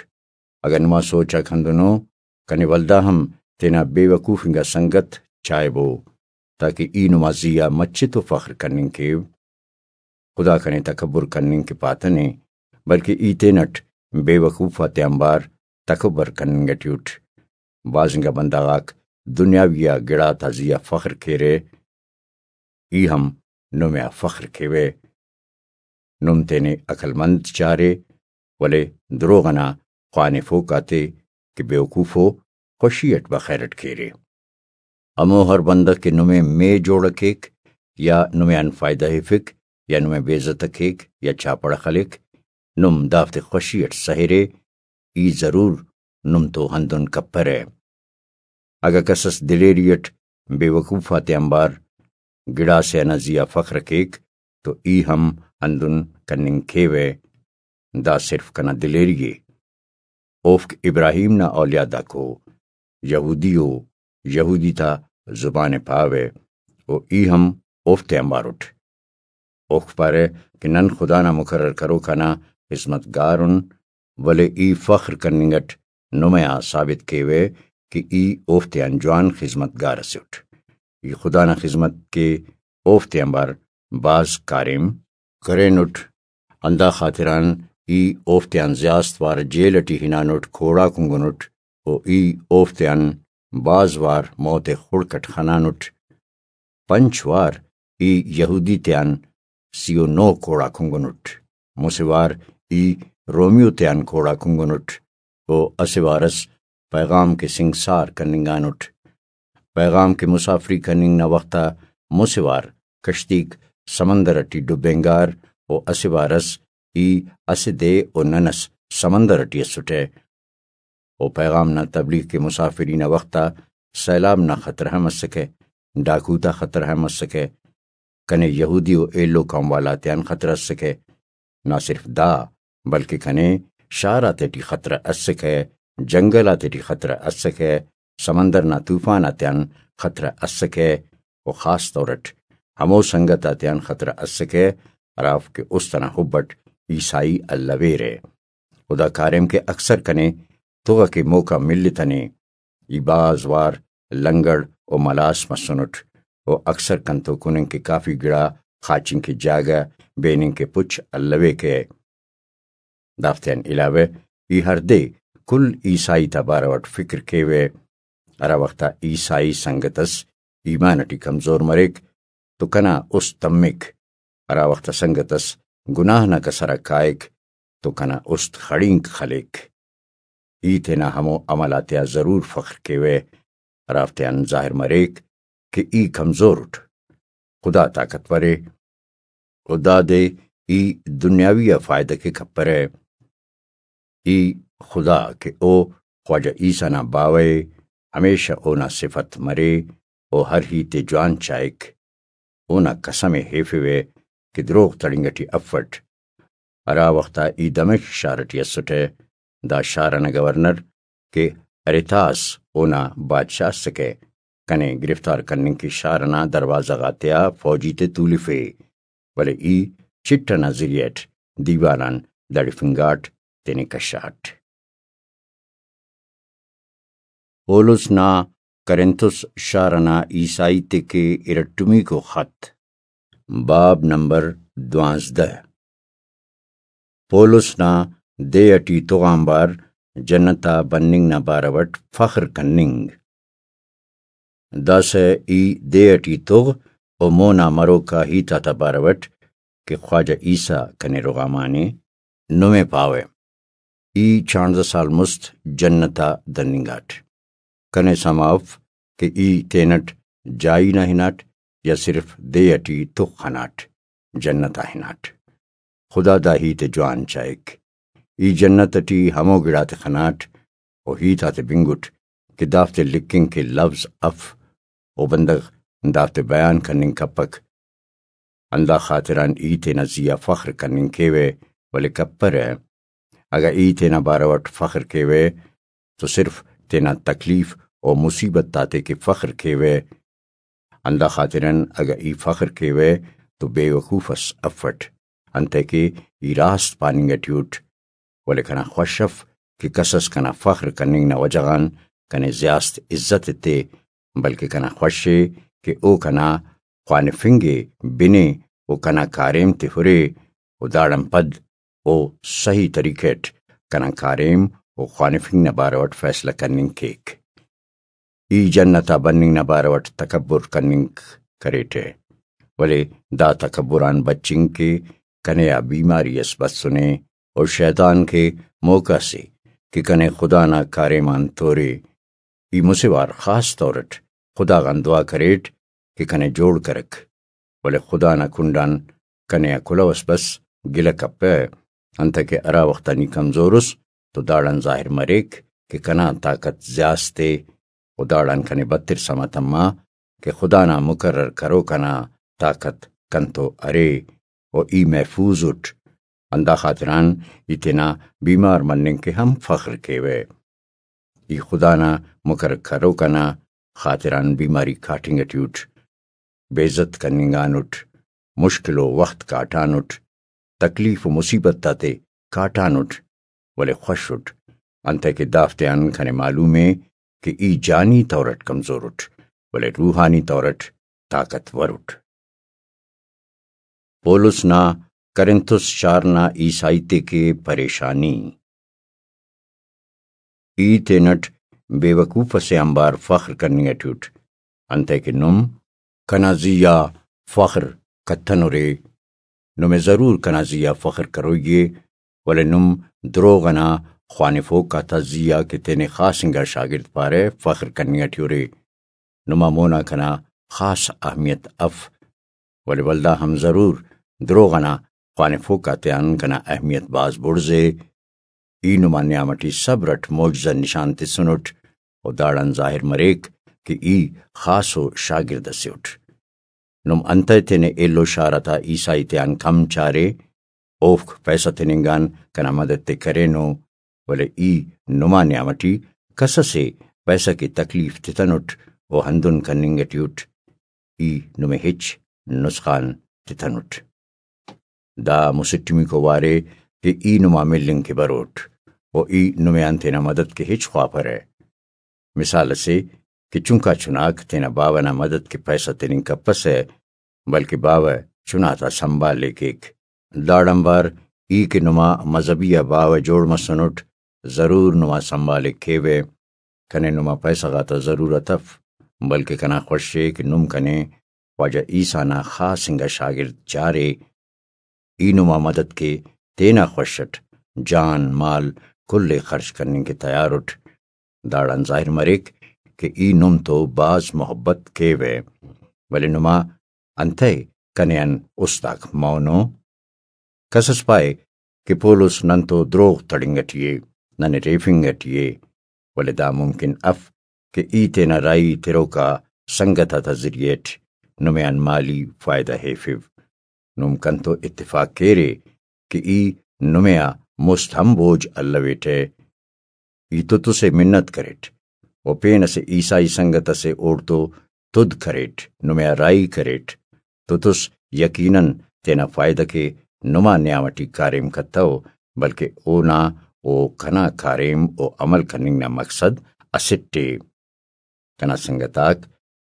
اگہ نما سوچ آک ہندنو، کنے ولدا ہم تینا بے وقوف انگا سنگت چائبو، تاکہ ای نما زیہا مچے تو فخر کننگ کیو۔ خدا کنے تکبر کننگ کہ پاتنے، بلکہ ای تینٹ بے وقوف آتیان بار تکبر کننگ اٹی اٹ۔ بھاز انگا بندغ آک دنیاوی آ گڑاتا زیہا فخر کیرہ، ای ہم نمے آ فخر کیوہ۔ نم تینے عقل مند چارے، ولے دروغ انا خوانفوک آتے کہ بیوقوفو خوشی اٹ بخیر اٹ کیرے۔ ہمو ہر بندغ کہ نمے مے جوڑ کیک یا نمے آن فائدہ ہیفک یا نمے بے عزت کیک یا چاپڑ خلیک، نم دافتے خوشی اٹ سہرے، ای ضرور نم تو ہندن کپرہ۔ اگہ کس اس دلیری اٹ بے وقوف آتیان بار گڑاسے انا زیہا فخر کیک تو ای ہم ہندن کننگ کیوہ۔ دا صرف کنا دلیری ءِ۔ اوفک ابراہیم نا اولیاداکو، یہودی او، یہودی تا زبان ءِ پاوہ، و ای ہم اوفتے آنبار اٹ۔ اوفک پارہ کہ نن خدا نا مقرر کروک آنا خذمت گار ان، ولے ای فخر کننگ اٹ نمے آ ثابت کیوہ کہ ای اوفتیان جوان خذمت گار اسے اٹ۔ ای خدا نا خذمت کے اوفتے آنبار بھاز کاریم کرینٹ۔ ہندا خاطران ای اوفتیان زیاست وار جیل اٹی ہنانٹ، کوڑا کنگنٹ، و ای اوفتیان بھاز وار موت خڑک اٹ خنانٹ۔ پنچ وار ای یہودی تیان سی و نو کوڑا کنگنٹ، مسہ وار ای رومیو تیان کوڑا کنگنٹ، و اسہ وار اس پیغام کے سنگسار کننگانٹ۔ پیغام کے مسافری کننگ نا وخت آ مسہ وار کشتیک سمندر اٹی ڈبینگار، و اسہ وار اس ای اسہ دے و نن اس سمندر اٹی اسٹہ۔ و پیغام نا تبلیغ کے مسافری نا وخت آ سیلاب نا خطرہ ہم اسکہ، ڈاکو تا خطرہ ہم اسکہ، کنے یہودی و ایلو قوم والاتیان خطرہ اسکہ۔ نہ صرف دا، بلکہ کنے شار آتیٹی خطرہ اسکہ، جنگل آتیٹی خطرہ اسکہ، سمندر نا طوفان آتیان خطرہ اسکہ، و خاص طور اٹ ہمو سنگت آتیان خطرہ اسکہ ہرافک کہ است انا حب اٹ عیسائی الویرہ۔ و دا کاریم کہ اکثر کنے تغ اکہ موقع ملتنے۔ ای بھاز وار لنگڑ و ملاس مسنٹ، و اکثر کنتو کننگ کہ کافی گڑا، خاچنگ کہ جاگہ، بیننگ کہ پچ الویکہ۔ دافتیان علاوہ ای ہر دے کل عیسائی تا بارو اٹ فکر کیوہ۔ ہرا وخت آ عیسائی سنگت اس ایمان اٹی کمزور مریک تو کنا است تمک، ہرا وخت آ سنگت اس گناہ نا کسر آ کائک تو کنا است خڑینک خلیک۔ ای تینا ہمو عمل آتیا ضرور فخر کیوہ، ہرافتیان ظاہر مریک کہ ای کمزور اٹ۔ خدا طاقتور ءِ، و دادے ای دنیاوی آ فائدہ کیک ہپرہ۔ ای خدا کہ او خواجہ عیسی نا باوہ ءِ، ہمیشہ اونا صفت مرے، او ہر ہیت ءِ جوان چائک۔ اونا قسم ءِ ہیفوہ کہ دروغ تڑنگ ٹی افٹ۔ ہرا وخت آ ای دمشق شار ٹی اسٹہ، دا شار ئنا گورنر کہ اریتاس اونا بادشاہ ئسکہ، کنے گرفتار کننگ کہ شار ئنا دروازہ غاتیا فوجی تے تولفے، ولے ای چٹ ئنا ذریعہ ئٹ دیوال آن دڑفنگاٹ، تینے کشاٹ۔ پولس نا کرنتس شار ئنا عیسائی تے کہ ارٹمیکو خط۔ باب نمبر دوانزدہ۔ پولس نا دے ٹی تغ آنبار جنت آ بننگ نا بارو اٹ فخر کننگ۔ داسہ ای دے ٹی تغ و مونا مروکا ہیت آتا بارو اٹ کہ خواجہ عیسی کنے رغامانے، نمے پاوہ۔ ای چانزدہ سال مست جنت آ دننگاٹ۔ کنے سما اف کہ ای تینٹ جائی نا ہناٹ یا صرف دے ٹی تغ خناٹ، جنت آ ہناٹ۔ خدا دا ہیت ءِ جوان چائک۔ ای جنت ٹی ہمو گڑاتے خناٹ و ہیت آتے بنگٹ کہ دافتے لکھنگ کہ لوظ اف، و بندغ دافتے بیان کننگ کپک۔ ہندا خاطران ای تینا زی آ فخر کننگ کیوہ، ولے کپرہ۔ اگہ ای تینا بارو اٹ فخر کیوہ تو صرف تینا تکلیف و مصیبت آتے کہ فخر کیوہ۔ ہندا خاطران اگہ ای فخر کیوہ تو بے وقوف اس افٹ، انتئے کہ ای راست پاننگ ٹی اٹ۔ ولے کنا خوش اف کہ کس اس کنا فخر کننگ نا وجہ غان کنے زیاست عزت ایتے، بلکہ کنا خوش ءِ کہ او کنا خوانفنگ ءِ بنے و کنا کاریم تے ہرے، و داڑان پد او صحیح طریقہ اٹ کنا کاریم و خوانفنگ نا بارو اٹ فیصلہ کننگ کیک۔ ای جنت آ بننگ نا بارو اٹ تکبر کننگ کریٹہ، ولے دا تکبر آن بچنگ کہ کنے آ بیماری اس بسنے، و شیطان کہ موقع سے کہ کنے خدا نا کاریم آن تورے۔ ای مسہ وار خاص طور اٹ خدا غان دعا کریٹ کہ کنے جوڑ کرک، ولے خدا نا کنڈان کنے آ کلہو اس بس، گلہ کپہ، انتئے کہ ہرا وخت آ نی کمزور اس تو داڑان ظاہر مریک کہ کنا طاقت زیاست ءِ، و داڑان کنے بتر سما تما کہ خدا نا مقرر کروک آنا طاقت کنتو ارے، و ای محفوظ اٹ۔ ہندا خاطران ای تینا بیمار مننگ کہ ہم فخر کیوہ۔ ای خدا نا مقرر کروک آنا خاطران بیماری کاٹنگ ٹی اٹ، بے عزت کننگانٹ، مشکل و وخت کاٹانٹ، تکلیف و مصیبت آتے کاٹانٹ، ولے خوش اٹ، انتئے کہ دافتیان کنے معلوم ءِ کہ ای جانی طور اٹ کمزور اٹ، ولے روحانی طور اٹ طاقتور اٹ۔ پولس نا کرنتس شار نا عیسائی تے کہ پریشانی۔ ای تینٹ بے وقوف اسے آنبار فخر کننگ ٹی اٹ، انتئے کہ نم کنا زی آ فخر کتنرے۔ نمے ضرور کنا زی آ فخر کروئی ءِ، ولے نم دروغ ئنا خوانفوک آتا زی آ کہ تینے خاص انگا شاگرد پارہ، فخر کننگ ٹی ارے۔ نما مونا کنا خاص اہمیت اف، ولے ولدا ہم ضرور دروغ ئنا خوانفوک آتیان کنا اہمیت بھاز بڑز ءِ۔ ای نما نیام ٹی صبر اٹ معجزہ نشان تسنٹ، و داڑان ظاہر مریک کہ ای خاصو شاگرد اسے اٹ۔ نم انتئے تینے ایلو شار آتا عیسائی تیان کم چارے؟ اوفک پیسہ تننگان کنا مدد تے کرینو، ولے ای نما نیام ٹی کس ئسے پیسہ کہ تکلیف تتنٹ و ہندن کننگ ٹی اٹ، ای نمے ہچ نسخان تتنٹ۔ دا مسٹمیکو وارے کہ ای نما ملنگ کہ بروٹ و ای نمے آن تینا مدد کہ ہچ خواپرہ۔ مثال اسے کہ چنکا چناک تینا باوہ نا مدد کہ پیسہ تننگ کپسہ، بلکہ باوہ چنا تا سنبھال ءِ کیک۔ داڑان وار ای کہ نما مذہبی آ باوہ جوڑ مسنٹ، ضرور نما سنبھال ءِ کیوہ۔ کنے نما پیسہ غاتا ضرورت اف، بلکہ کنا خوش ءِ کہ نم کنے خواجہ عیسیٰ نا خاص انگا شاگرد چارے۔ ای نما مدد کے تینا خوش اٹ جان مال کل ءِ خرچ کننگ کہ تیار اٹ۔ داڑان ظاہر مریک کہ ای نم تو بھاز محبت کیوہ، ولے نما انتئے کنے آن است آک مونو؟ کس اس پائے کہ پولس نن تو دروغ تڑنگ ٹی ءِ، ننے ریفنگ ٹی ءِ، ولے دا ممکن اف کہ ای تینا راہی تروکا سنگت آتا ذریعہ اٹ نمے آن مالی فائدہ ہیفو۔ نم کنتو اتفاق کیرے کہ ای نمے آ مست ہم بوجھ الویٹہ۔ ای تتسے منت کریٹ و پین اسہ عیسائی سنگت اسے اوڑتو تد کریٹ، نمے آ راہی کریٹ۔ تتس یقیناً تینا فائدہ کے نما نیام ٹی کاریم کتو، بلکہ اونا و کنا کاریم و عمل کننگ نا مقصد اسٹ ءِ۔ کنا سنگت آک،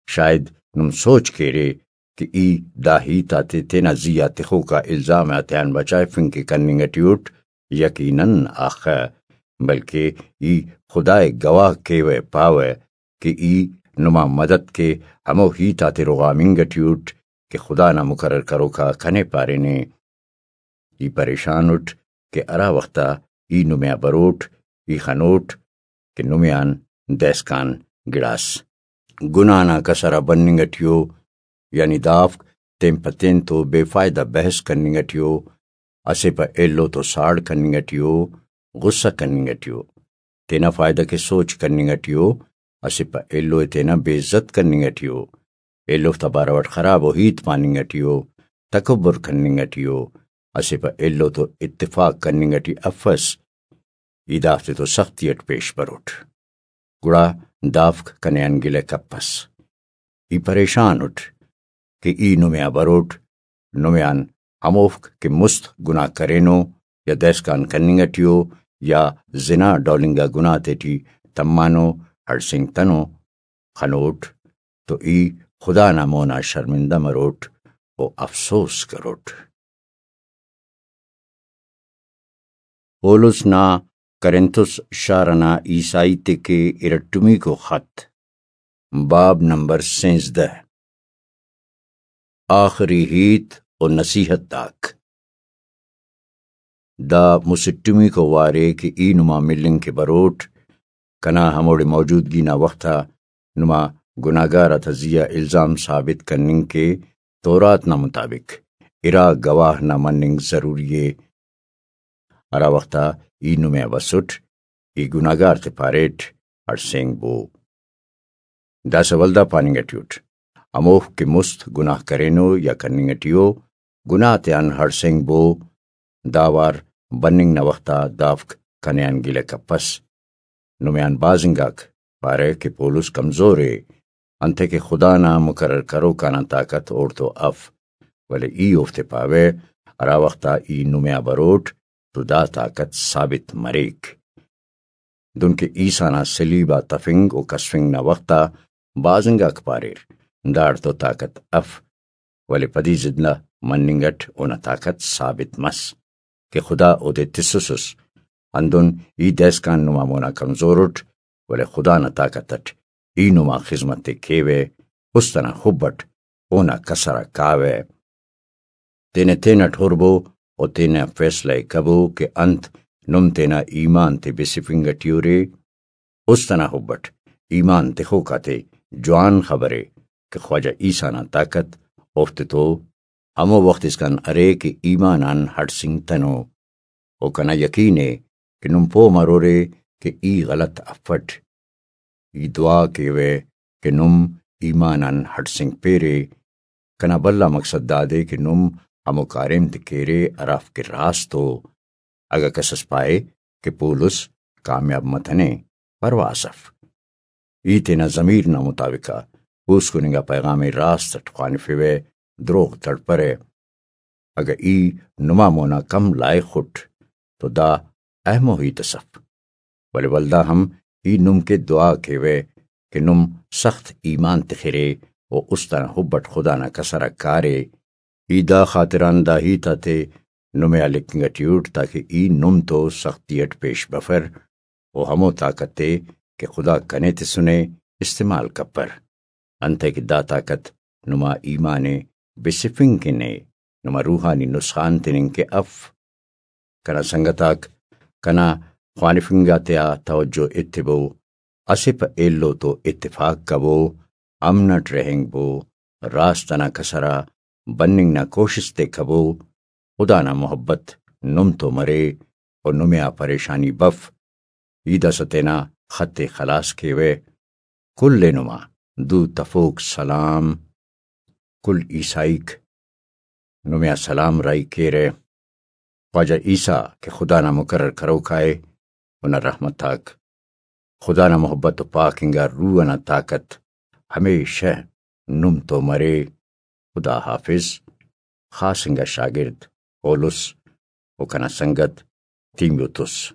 شاید نم سوچ کیرے کہ ای دا ہیت آتے تینا زی آ تخوکا الزام آتیان بچائفنگ کہ کننگ ٹی اٹ۔ یقیناً آخہ، بلکہ ای خدا ءِ گواہ کیوہ پاوہ کہ ای نما مدد کے ہمو ہیت آتے رغامنگ ٹی اٹ کہ خدا نا مقرر کروکا کنے پارینے۔ ای پریشان اٹ کہ ہرا وخت آ ای نمے آ بروٹ، ای خنوٹ کہ نمے آن دائسکان گڑاس گناہ نا کسر آ بننگ ٹی ءُ، یعنی دافک تین پہ تین تو بے فائدہ بحث کننگ ٹی ءُ، اسہ پہ ایلو تو ساڑ کننگ ٹی ءُ، غصہ کننگ ٹی ءُ، تینا فائدہ کے سوچ کننگ ٹی ءُ، اسہ پہ ایلو ءِ تینا بے عزت کننگ ٹی ءُ، ایلوفتا بارو اٹ خراب ءُ ہیت پاننگ ٹی ءُ، تکبر کننگ ٹی ءُ، اسہ پہ ایلو تو اتفاق کننگ ٹی افس، ای دافتے تو سختی اٹ پیش بروٹ، گڑا دافک کنے آن گلہ کپس۔ ای پریشان اٹ کہ ای نمے آ بروٹ، نمے آن ہموفک کہ مست گناہ کرینو یا دائسکان کننگ ٹی ءُ یا زنا ڈول انگا گناہ تیٹی تمانو، ہڑسینگتنو، خنوٹ تو ای خدا نا مونا شرمندہ مروٹ و افسوس کروٹ۔ پولس نا کرنتس شار ئنا عیسائی تے کہ ارٹمیکو خط، باب نمبر سینزدہ، آخری ہیت و نصیحت آک۔ دا مسٹمیکو وارے کہ ای نما ملنگ کہ بروٹ، کنا ہموڑے موجودگی نا وخت آ نما گناہگار آتا زی آ الزام ثابت کننگ کہ تورات نا مطابق ارا گواہ نا مننگ ضروری ءِ۔ ہرا وخت آ ای نمے آ بسٹ، ای گناہگار تے پاریٹ، ہڑسینگ بو۔ داسہ ولدا پاننگ ٹی اٹ، ہموفک کہ مست گناہ کرینو یا کننگ ٹی ءُ، گناہ تیان ہڑسینگ بو۔ دا وار بننگ نا وخت آ دافک کنے آن گلہ کپس۔ نمے آن بھاز انگاک پارہ کہ پولس کمزور ءِ، انتئے کہ خدا نا مقرر کروک آنا طاقت اوڑتو اف، ولے ای اوفتے پاوہ، ہرا وخت آ ای نمے آ بروٹ تو دا طاقت ثابت مریک۔ دنکہ عیسیٰ نا صلیب آ تفنگ و کسفنگ نا وخت آ بھاز انگاک پاریر، داڑتو طاقت اف، ولے پدی زندہ مننگ اٹ اونا طاقت ثابت مس کہ خدا اودے تسسس۔ ہندن ای دائسکان نما مونا کمزور اٹ، ولے خدا نا طاقت اٹ ای نما خذمت ءِ کیوہ، است ئنا حب اٹ اونا کسر آ کاوہ۔ تینے تینٹ ہربو و تینا فیصلہ ءِ کبو کہ انت نم تینا ایمان تے بسفنگ ٹی ارے۔ است ئنا حب اٹ ایمان تخوک آتے جوان خبرے کہ خواجہ عیسیٰ نا طاقت اوفتے تو ہمو وخت اسکان ارے کہ ایمان آن ہڑسینگتنو۔ و کنا یقین ءِ کہ نم پہہ مرورے کہ ای غلط افٹ۔ ای دعا کیوہ کہ نم ایمان آن ہڑسینگپیرے۔ کنا بھلا مقصد دادے کہ نم ہمو کاریم تے کیرے ہرافک کہ راست ءُ۔ اگہ کس اس پائے کہ پولس کامیاب متنے، پرواہ اس اف۔ ای تینا ضمیر نا مطابق آ پوسکن انگا پیغام ءِ راست اٹ خوانفوہ، دروغ تڑپرہ۔ اگہ ای نما مونا کم لائخ اٹ تو دا اہمو ہیت اس اف، ولے ولدا ہم ای نم کہ دعا کیوہ کہ نم سخت ایمان تخرے و است انا حب اٹ خدا نا کسر آ کارے۔ ای دا خاطران دا ہیت آتے نمے آ لکھنگ ٹی اٹ تاکہ ای نم تو سختی اٹ پیش بفر و ہمو طاقت ءِ کہ خدا کنے تسنے استعمال کپر، انتئے کہ دا طاقت نما ایمان ءِ بسفنگ کن ءِ، نما روحانی نسخان تننگ کہ اف۔ کنا سنگت آک، کنا خوانفنگ آتیا توجہ ایتبو، اسہ پہ ایلو تو اتفاق کبو، امن اٹ رہینگبو، راست انا کسر آ بننگ نا کوشست ءِ کبو۔ خدا نا محبت نم تو مرے و نمے آ پریشانی بف۔ ای داسہ تینا خط ءِ خلاس کیوہ۔ کل ءِ نما دو تفوک سلام۔ کل عیسائیک نمے آ سلام راہی کیرہ۔ خواجہ عیسیٰ کہ خدا نا مقرر کروکا ءِ، اونا رحمت آک، خدا نا محبت و پاک انگا روح انا طاقت ہمیشہ نم تو مرے۔ خدا حافظ۔ خاص انگا شاگرد پولس و کنا سنگت تیموتوس۔